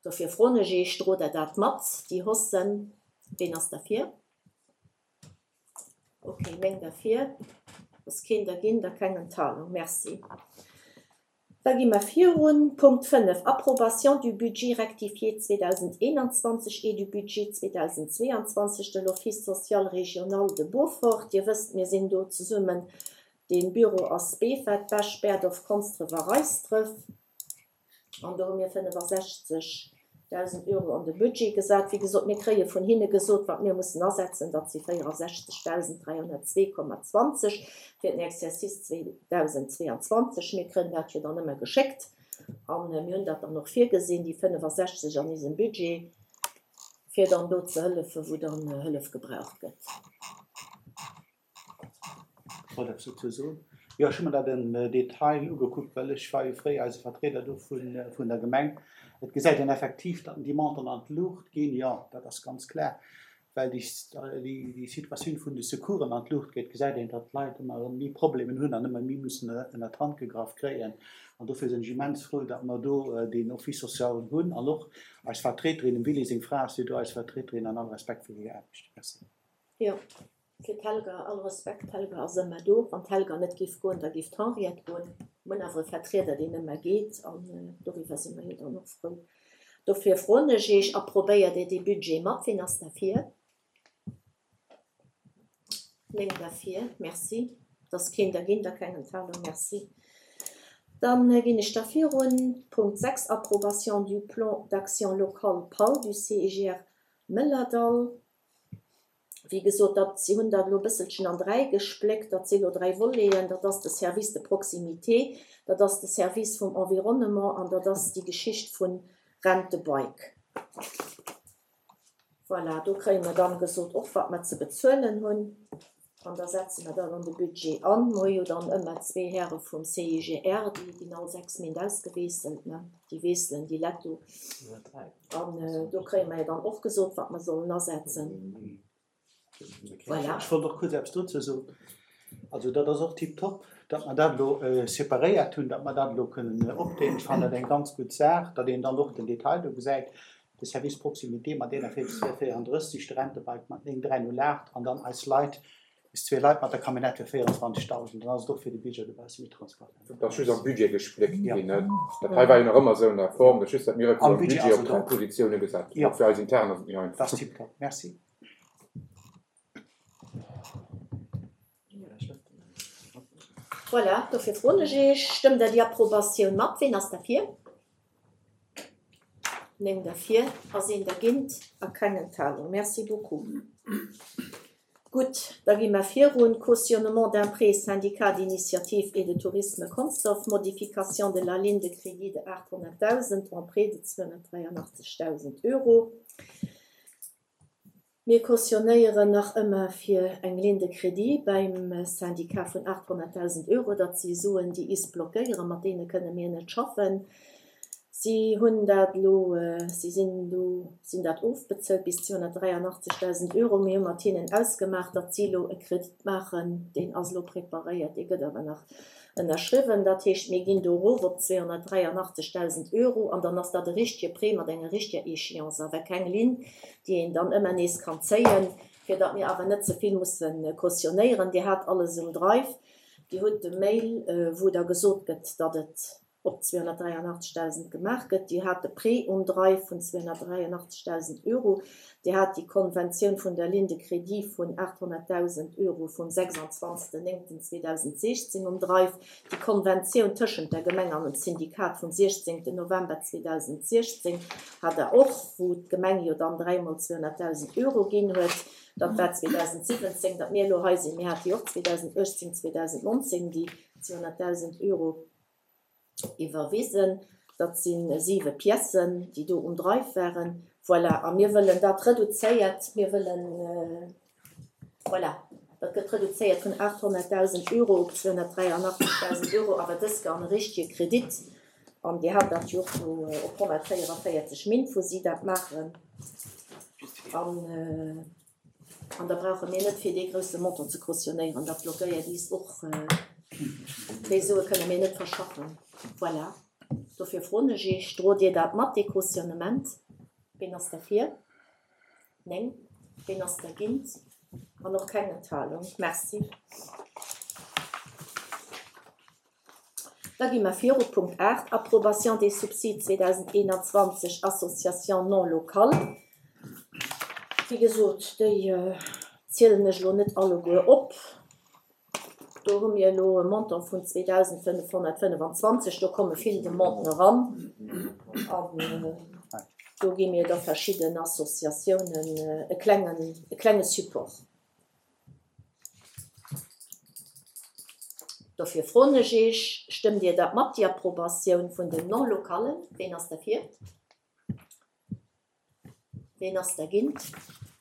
Dofir froen ech Iech, drot Der dat mat, déi Haussen? Ween ass derfir? Ok, néng derfir. Ass keen dergéint a keng Enthalung. Merci. Da gi mer virun. Punkt fënnef, Approbation du budget rectifié zweedausendeenanzwanzeg et du budget zweedausendzweeanzwanzeg de l'Office social régional de Beaufort. Dir wësst, mir sinn do zesummen, de Büro ass Befert, Bech, Berdorf, Konsdref a Reisdref. An do hu mir fënnefasechzegdausend Euro an de Budget gesat. Wéi gesot, mir kréie vun hinne gesot, wat mir mussen asetzen, dat si véierasechzegdausend dräihonnertzwee Komma zwanzeg fir den Exercice zweedausendzweeanzwanzeg. Mir kréien dat jo dann ëmmer geschéckt an mir hunn dat dann och virgesinn, déi fënnefasechzeg an eisem Budget, fir dann do ze hëllefen, wou dann Hëllef gebraucht gëtt. Ech wollt eppes dozou soen. Jo, ech hu mer dat am Detail ugekuckt, well ech war jo fréier eise Vertrieder do vun der Gemeng. Et gesäit een effektiv, datt déi Montanten an d'Luucht ginn. Jo, dat ass ganz klar, well déi déi Situatioun vun de Secoursen an d'Luucht geet, gesäit een, datt d'Leit ëmmer erëm méi Problemen hunn an ëmmer méi mussen ënner d'Hand gegraff kréien. An dofir sinn ech immens frou, datt mer do deen Office social hunn an och eis Vertriederin, dem Willy seng Fra ass jo do eis Vertriederin, an all Respekt fir hir Aarbecht. Merci. Jo, fir d'Helga, all Respekt, d'Helga ass ëmmer do. Wann d'Helga net géif goen, da géif d'Henriette goen. Mir hunn awer e Vertrieder, deen ëmmer geet, an doriwwer si mer jo dann och frou. Dofir froen ech Iech, approbéiert Dir dee Budget mat? Wien ass derfir? Néng derfir, merci. Et ass keen dergéint a keng Enthalung, merci. Dann ginn ech da virun. Punkt sechs, Approbation du plan d'action locale PAL du C I G R Mëllerdall. Wéi gesot, dat, si hunn dat elo e bësselchen an dräi gespléckt, dat si elo dräi Voleten, dat ass de Service de proximité, dat ass de Service vum Environnement an dat ass déi Geschicht vun Rent-a-Bike. Voilà, do kréie mer dann gesot och, wat mer ze bezuelen hunn an da setze mer dat an de Budget an. Mer hu jo dann ëmmer zwee Häre vum CIGR, déi ginn all sechs Méint ausgewiesselt, ne, déi wiesselen déi Lett do. An do kréie mer jo dann och gesot, wat mer sollen asetzen. Voilà. Ech wollt och kuerz eppes dozou soen. Also dat ass och tiptop, datt mer dat elo separéiert hunn, datt mer dat elo kënnen opdeelen. Ech fannen dat eng ganz gutt Saach, datt een dann och den Detail do gesäit, de Service proximité mat eenundvierzeg véierunddrësseg, de Rentebike mat néng dräi null aacht an dann eis Leit, eis zwee Leit mat der Camionnette fir véierundzwanzegdausend. Dann ass et och fir de Bierger e bësse méi transparent. Dat ass just am Budget gespléckt ginn, net? Dat hei war jo nach ëmmer esou an der Form, dat ass just, datt mir et elo am Budget op dräi Positioune gesat hunn. Fir eis intern ass et méi einfach. Dat ass tiptop. Merci. Voilà, dofir froen ech Iech, Stëmmt Der déi Approbatioun mat? Ween ass derfir? Néng derfir, ass een dergéint a keng Enthalung. Merci beaucoup. Gutt, da gi mer virun. Cautionnement d'un prêt syndicat d'initiative et de tourisme Consdorf, modification de la ligne de crédit de aathonnertdausend en prêt de zweehonnertdräianachtzegdausend Euro. Mir cautionnéieren nach ëmmer fir eng Ligne de crédit beim Syndicat vun aathonnertdausend Euro, datt si Suen, déi is blockéieren, mat deene kënne mir net schaffen. Si hunn dat elo, si sinn do, si hunn dat ofbezuelt bis zweehonnertdräianachtzegdausend Euro. Mir hu mat hinnen ausgemaach, datt si elo e Kredit maachen, deen ass elo preparéiert, dee gëtt awer nach ënnerschriwwen. Dat heescht, mir ginn do erof op zweehonnertdräianachtzegdausend Euro an dann ass dat e richtige Prêt mat enger richtiger Échéance, awer keng Linn, déi een dann ëmmer nees kann zéien, fir datt mir awer net ze vill musse cautionnéieren. Dir hat alles um Drive. Dir hutt de Mail, wou da gesot gëtt, datt et op zweehonnertdräianachtzegdausend gemaach gëtt. Dir hat de Prêt um Drive vun zweehonnertdräianachtzegdausend Euro. Dir hat déi Konventioun vun der Ligne de crédit vun aathonnertdausend Euro vum sechsundzwanzegsten néngten zweedausendsechzehn um Drive. Déi Konventioun tëschent der Gemeng an dem Syndikat vum siechzéngten November zweedausendsechzehn hat Der och, wou d'Gemeng jo dann dräimol zweehonnertdausend Euro ginn huet. Dat war zweedausentsiwwenzéng, datt mir elo hei sinn. Mir hate jo och zweedausentuechtzéng, zweedausendnonzéng déi zweehonnertdausend Euro iwwerwisen. Dat si siwe Piècen, déi do um Drive waren. Voilà, a mir wëllen dat reduzéiert, mir wëllen, voilà, dat gëtt reduzéiert vun aathonnertdausend Euro op zweehonnertdräianachtzegdausend Euro, awer dës Kéier an e richtige Kredit. An Dir hat dat jo och do op honnertvéieranvéierzeg Min, wou si dat maachen. An, an da brauche mir net fir dee grousse Montant ze cautionnéieren, dat blockéiert is och. Déi Sue kënne mir net verschaffen. Voilà. Dofir froen ech Iech, drot Dir dat mat, dee Cautionnement? Ween ass derfir? Néng. Ween ass dergéint? An och keng Enthalung. Merci. Da gi mer viru. Punkt aacht, Approbation des subsides zweedausendeenanzwanzeg, Associations non locales. Wéi gesot, déi zielen ech elo net alleguer op. Do hu mir elo e Montant vun zweedausendfënnefhonnertfënnefenzwanzeg. Do komme vill Demanden eran. An do gi mir da verschidden Associatiounen e klengen, e klenge Support. Dofir froen ech Iech, Stëmmt Dir dat mat, déi Approbatioun vun den Non-localen? Ween ass derfir? Ween ass dergéint?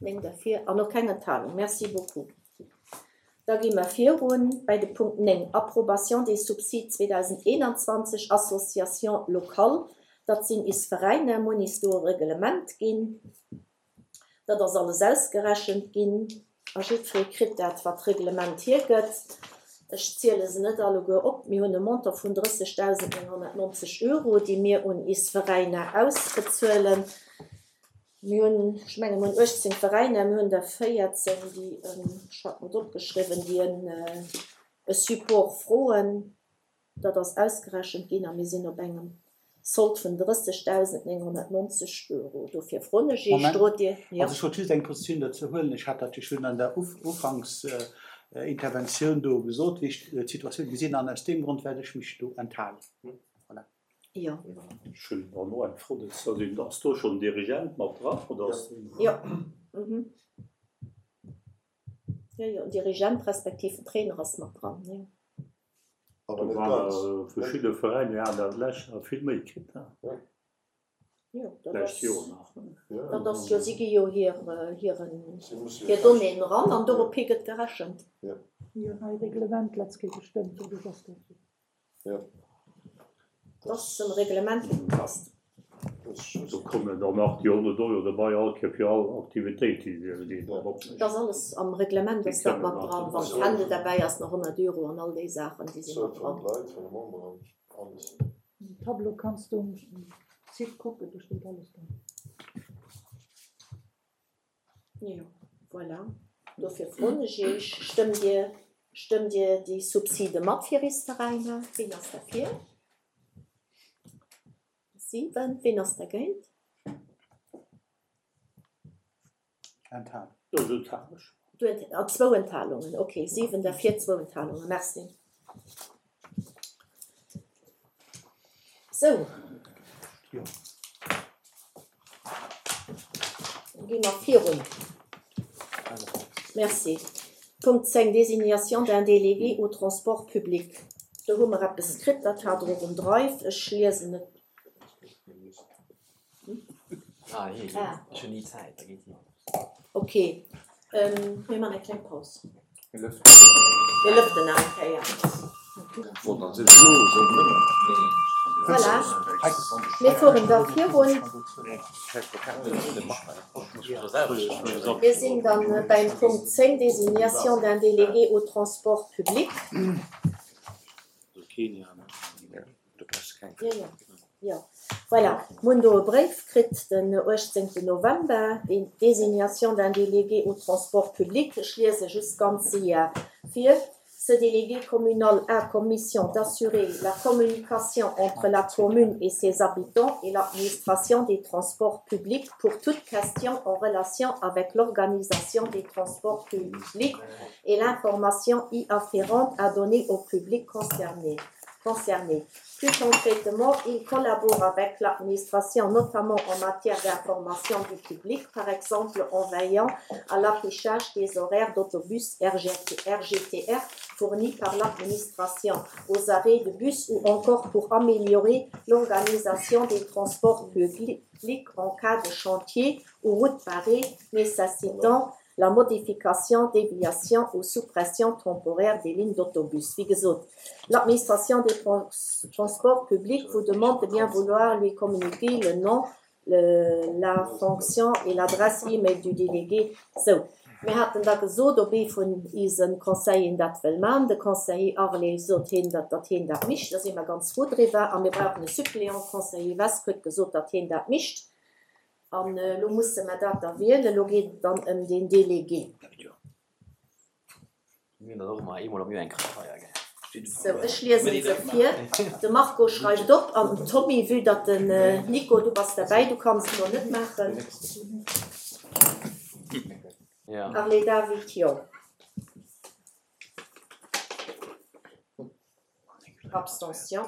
Néng derfir an och keng Enthalung. Merci beaucoup. Da gi mer virun bei de Punkt néng, Approbation des subsides zweedausendeenanzwanzeg, Associations locales. Dat sinn is Veräiner, mir hunn is do e Reglement ginn. Dat ass alles ausgerechent ginn a jiddweree kritt dat, wat d'Reglement hiergëtt. Ech ziele se net alleguer op. Mir hunn e Montant vun drëssegdausendnénghonnertnonzeg Euro, déi mir un is Veräiner ausbezuelen. Mir hunn, ech mengen, mir hunn uechtzéng Veräiner, mir hunn der véierzéng, déi, ech hat mer et opgeschriwwen, déi e Support froen. Dat ass ausgerechent ginn a mir sinn op engem Sold vun drëssegdausendnénghonnertnonzeg Euro. Dofir froen ech Iech, drot Dir? Jo. Also ech wollt just eng Positioun dozou huelen. Ech hat dat jo schonn an der Ufanksinterventioun do gesot, wéi ech d'Situatioun gesinn an aus deem Grond wäert ech mech do enthalen. Voilà. Jo. Ech hunn dann och eng Fro dozou. Ass do schonn den Dirigent mat dran, oder ass deen? Jo. Mhm. Jo, jo, en Dirigent respektiv en Trainer ass mat dran, jo. Awer net ganz. Verschidde Veräiner haten dat d'lescht Joer vill méi kritt. Jo, dat D'lescht ass, Joer nach. dat ass jo, si gi jo hir, hiren, hir Donnéeën eran an dorop hi gëtt gerechent. Jo, nei Reglement letzt Kéier gestëmmt, doduerch ass dat esou. Dat ass dem Reglement ugepasst. Do kommen dann nach déi honnert Euro derbei all Kéier fir all Aktivitéit, déi déi dann opmécht. Dat ass alles am Reglement ass dat mat dran. Wann d'Fändel derbäi ass, nach honnert Euro an all déi Saachen, déi si mat dran. Den Tableau kanns du um Site kucken, do steet alles dran. Jo, voilà. Dofir froen ech Iech, Stëmmt Dir, stëmmt Dir déi Subside mat fir is Veräiner? Wien ass derfir? Siwen. Wien ass dergéint? Enthalung. Do enthalen ech. Du ent, ah, zwou Enthalungen, okay. Siwen derfir, zwou Enthalungen. Merci. Sou. Jo. Da gi mer virun. Merci. Punkt zéng, Désignation d'un délégué au transport public. Do hu mer eppes kritt, dat hat Der och um Drive. Ech liesen et. Ah, hie geet. Ah. Ech hunn ni Zäit, da geet hien. Okay. Mir man eng kleng Paus. Mir lëften. Mir lëften nach eng Kéier. Voilà. Mir fueren da virun. Mir sinn dann beim Punkt zéng, Désignation d'un délégué au transport public. Jo, jo. Jo, voilà. Mir hunn do e Bréif kritt den uechtzéngten November, déi Désignation d'un délégué au transport public. Ech liese just ganz séier vir. Ce délégué communal a comme mission d'assurer la communication entre la commune et ses habitants et l'administration des transports publics pour toute question en relation avec l'organisation des transports publics et l'information y afférente à donner au public concerné. Concerné. Plus concrètement, il collabore avec l'administration, notamment en matière d'information du public, par exemple en veillant à l'affichage des horaires d'autobus R G T R fournis par l'administration aux arrêts de bus ou encore pour améliorer l'organisation des transports publics en cas de chantier ou route barrée nécessitant la modification, déviation ou suppression temporaire des lignes d'autobus. Wéi gesot, l'administration des transports publics vous demande de bien vouloir lui communiquer le nom, le, la fonction et l'adresse e-mail du délégué. Sou, mir haten da gesot, ob ee vun ise Conseilleren dat wëll man. De Conseiller Arlé sot hien, datt, datt hien dat mischt. Da si mer ganz frou driwwer. A mir brauchen e Suppléant. Conseiller Wesk huet gesot, datt hien dat mischt. An elo musse mer dat da wielen. Elo geet et dann ëm den Délégué. Mir hunn dat och ëmmer eemol am Joer eng Krankfeier, gell? Sou, ech liesen se vir. De Marco schreift op an den Tommy, vue datt den Nico, du bass derbäi, du kanns et elo net maachen. Ja. Arlé David, jo. Abstention.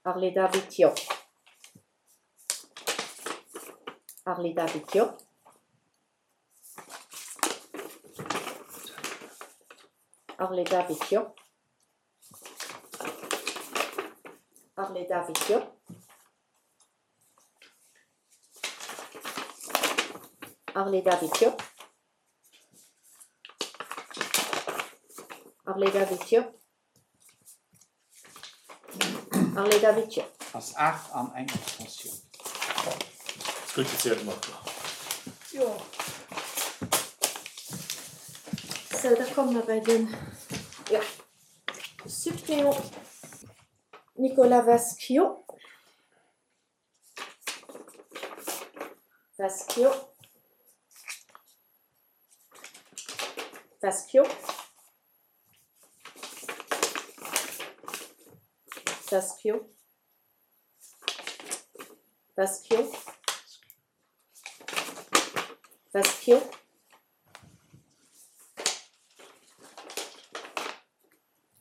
Arlé David, jo. Arlé David, jo. Arlé David, jo. Arlé David, jo. Arlé David, jo. Arlé David, jo. Arlé David, jo. Ass aacht an eng Abstention. Skrutiziert mat. Jo. Sou, da komme mer bei den, ja, Suppléant Nicolas Vescio. Vescio. Vescio. Vescio. Vescio. Vescio.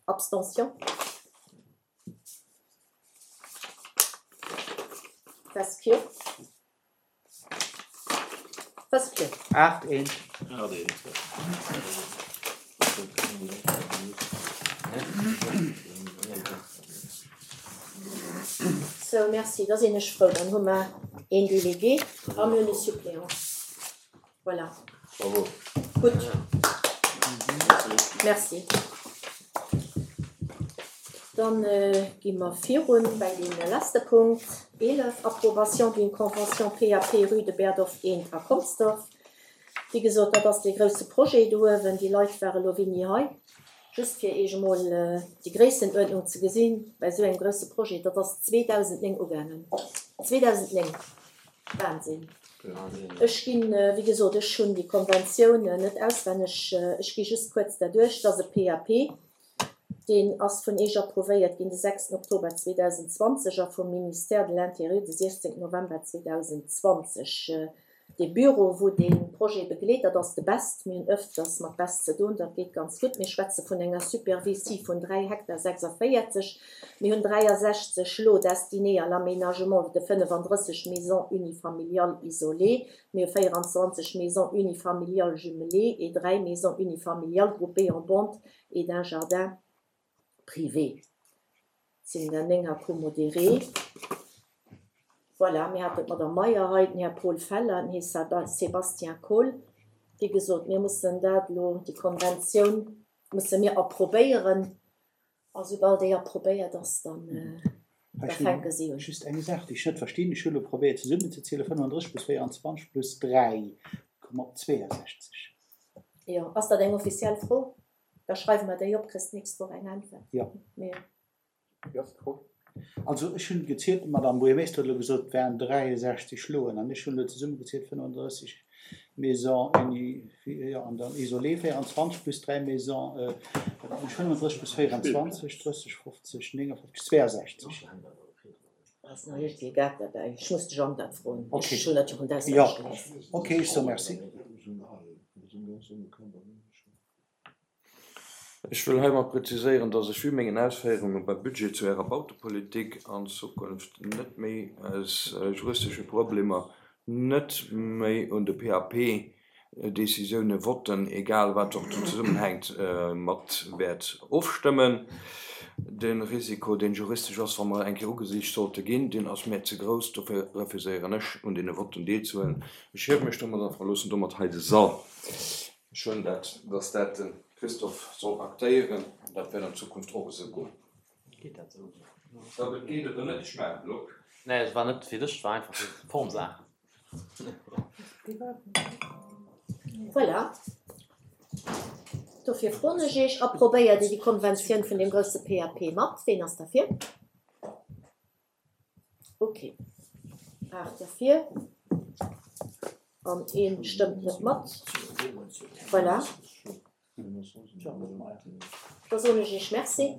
Abstention. Vescio. Wësst Dir? Aacht eent. Aacht eent. Sou, merci, da sinn ech frou. Dann hu mer een Délégué a mir hunn e Suppléant. Voilà. Bravo. Gutt. Merci. Dann gi mer virun bei dee leschte Punkt, eelef, Approbation d'une convention PAP rue de Berdorf eent a Consdorf. Wéi gesot, dat ass dee grousse Projet do uewen. Déi Leit ware lo wéini hei, just fir Iech emol déi Gréissenuerdnung ze gesinn bei esou engem grousse Projet. Dat ass zweedausendnéng ugaangen. Zweedausendnéng! Wahnsinn! Ech ginn, wéi gesot, ech hunn déi Konventioun net auswenneg, ech gi just kuerz derduerch. Et ass e PAP. Deen ass vun Iech approuvéiert ginn de sechsten Oktober zweedausendzwanzeg a vum Ministère de l'Intérieur de siechzéngten November zweedausendzwanzeg. Dee Büro, wou dee Projet begleet, dat ass de best. Mir hunn ëfters mat best ze doen, dat geet ganz gutt. Mir schwätze vun enger Superficie vun dräi Hektar sechsavéierzeg. Mir hunn dräiasechzeg Lots destinés à l'aménagement de fënnefandrësseg Maisons unifamiliales isolées. Mir hu véieranzwanzeg Maisons unifamiliales jumelées et dräi Maisons unifamiliales groupées en bande et d'un jardin privé. Sinn der néng accommodéré. Voilà, mir haten d'Madame Meyer hei, den Här Paul Feller, den Här Sébastien Kohl. Wéi gesot, mir mussen dat elo, déi Konventioun musse mir approbéieren. A soubal déi approbéiert ass, dann da fänke si un. Just eng Saach, déi ech net verstinn, Ech hu elo probéiert zesummenzezielen, fënnefandrësseg plus véieranzwanzeg plus dräi, komme op zweeasechzeg. Jo, ass dat eng offiziell Fro? Da schreiwe mer déi op, kriss d'nächst Woch eng Äntwert. Jo. Mee. Wéi ass d'Fro? Also ech hunn gezielt, d'Madame Buergermeeschter huet elo gesot, et wären dräiasechzeg Schloen an ech hunn elo zesummegezielt fënnefandrësseg Maisons uni, jo, an dann isolées véieranzwanzeg plus dräi Maisons, dat mécht fënnefandrësseg plus véieranzwanzeg, drësseg, fofzeg, néngefofzeg, zweeasechzeg. Ass nach iergendwéi e Gag derbäi? Ech muss de Jean dat froen. Okay. Ech hunn dat jo rëm Jo, auswenneg gelies. okay, ech soe Merci. Ech wëll heimat präziséieren, dass ech vu mengen Ausféierunge beim Budget zu Ärer Bautepolitik an Zukunft net méi aus juristesche Problemer net méi un de P A P-Décisioune voten, egal wat och do zesummenhänkt, mat wäert ofstëmmen. De Risiko, deen juristesch ass, wa mer eng Kéier ugesicht sollte ginn, deen ass mir ze grouss. Dofir refuséieren ech, un deene Votten deelzehuelen. Ech hiewe mech domat a verloossen domat hei de Sall. Ech hunn dat, dass dat de Christophe soll aktéieren, an dat wäert an Zukunft och esou goen. Geet dat esou? Ob et geet oder net, ech maachen et elo. Nee, et war net fir dech, et war einfach fir d'Formsaach. Voilà. Dofir froen ech Iech, Approbéiert Dir déi Konventioun vun deem grousse P A P mat? Ween ass derfir? Okay. Aacht derfir. An ee stëmmt net mat. Voilà. Da soen ech Iech Merci.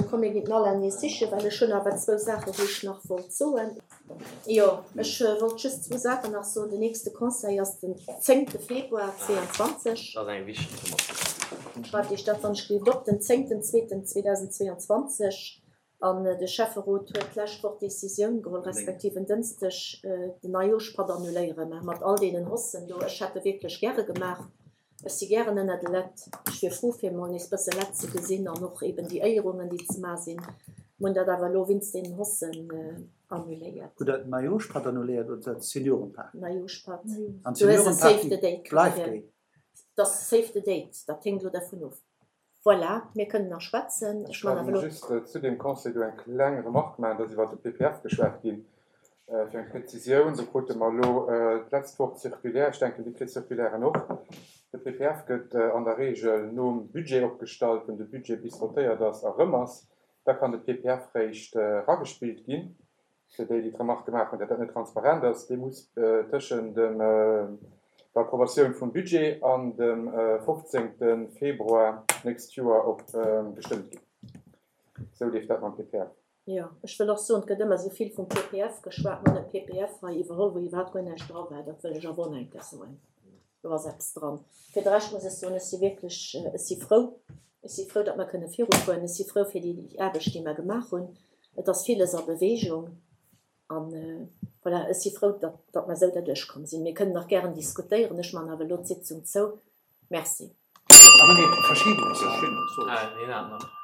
Komm, mir ginn den Alain nees sichen, well ech hunn awer zwou Saachen, wou ech nach wollt soen. Jo, ech wollt just zwou Saachen nach soen. Den nächste Conseil ass den zéngte Februar zweeanzwanzeg. Dat ass eng wichteg Informatioun. Schreift Iech dat wann ech gelift op, den zéngten zweeten zweedausendzweeanzwanzeg. An de Schäfferot huet d'lescht Woch d'Decisioun geholl, respektiv en Dënschdeg, den Neijoerschpatt annuléieren. Mä mat all deenen Hossen do, ech hätt e wierklech gäre gemaach. Ech si gären ënner de Lett. Ech wier frou, fir emol nees bësse Lett ze gesinn an och eben déi Éierungen, déi ze maache sinn. Mir hunn dat awer elo wéinst deenen Hossen annuléiert. Hutt Der den Neijoerschpatt annuléiert oder d'Seniorenparty? Neijoerschpatt. An Du hues e d'Seniorenparty Save the Date bleift kritt. déi? Dat ass Save the Date, dat héngt elo dervun of. Voilà, mir kënnen nach schwätzen. Ech Ech man awer kann elo. just zu deem Conseil do eng kleng Remarque maachen, dass iwwer de P P F geschwat ginn. Fir eng Präzisioun, do krute mer elo d'letzt Woch d'Circulaire, ech denken, Dir kritt d'Circulairen och. De P P F gëtt an der Regel nom Budget opgestallt, wann de Budget bis votéiert ass a rëm ass. Da kann de P P F réischt eragespillt ginn. Fir déi, déi d'Remarque gemaach hunn, datt dat net transparent ass, dee muss tëschent dem der Approbatioun vum Budget an dem fofzéngte Februar d'nächst Joer op gestëmmt ginn. Esou leeft dat mam P P F. Jo, ech wëll och soen, et gëtt ëmmer esou vill vum P P F geschwat, mir hunn e P P F hei iwwerholl, wou iwwerhaapt guer näischt dra war. Dat wëll ech awer och nach eng Kéier soen. Do ass eppes dran. Fir de Rescht muss ech soen, ech si wierklech, ech si frou, ech si frou, datt mer kënne virufueren. Ech si frou fir déi Aarbecht, déi mer gemaach hunn. Et ass villes a Bewegung an Voilà, ech si frou, datt, datt mer esou derduerch komm sinn. Mir kënnen nach gären diskutéieren, ech man awer elo d'Sitzung zou. Merci. Ah, nee, Verschiedenes. Ah, deen hat nach.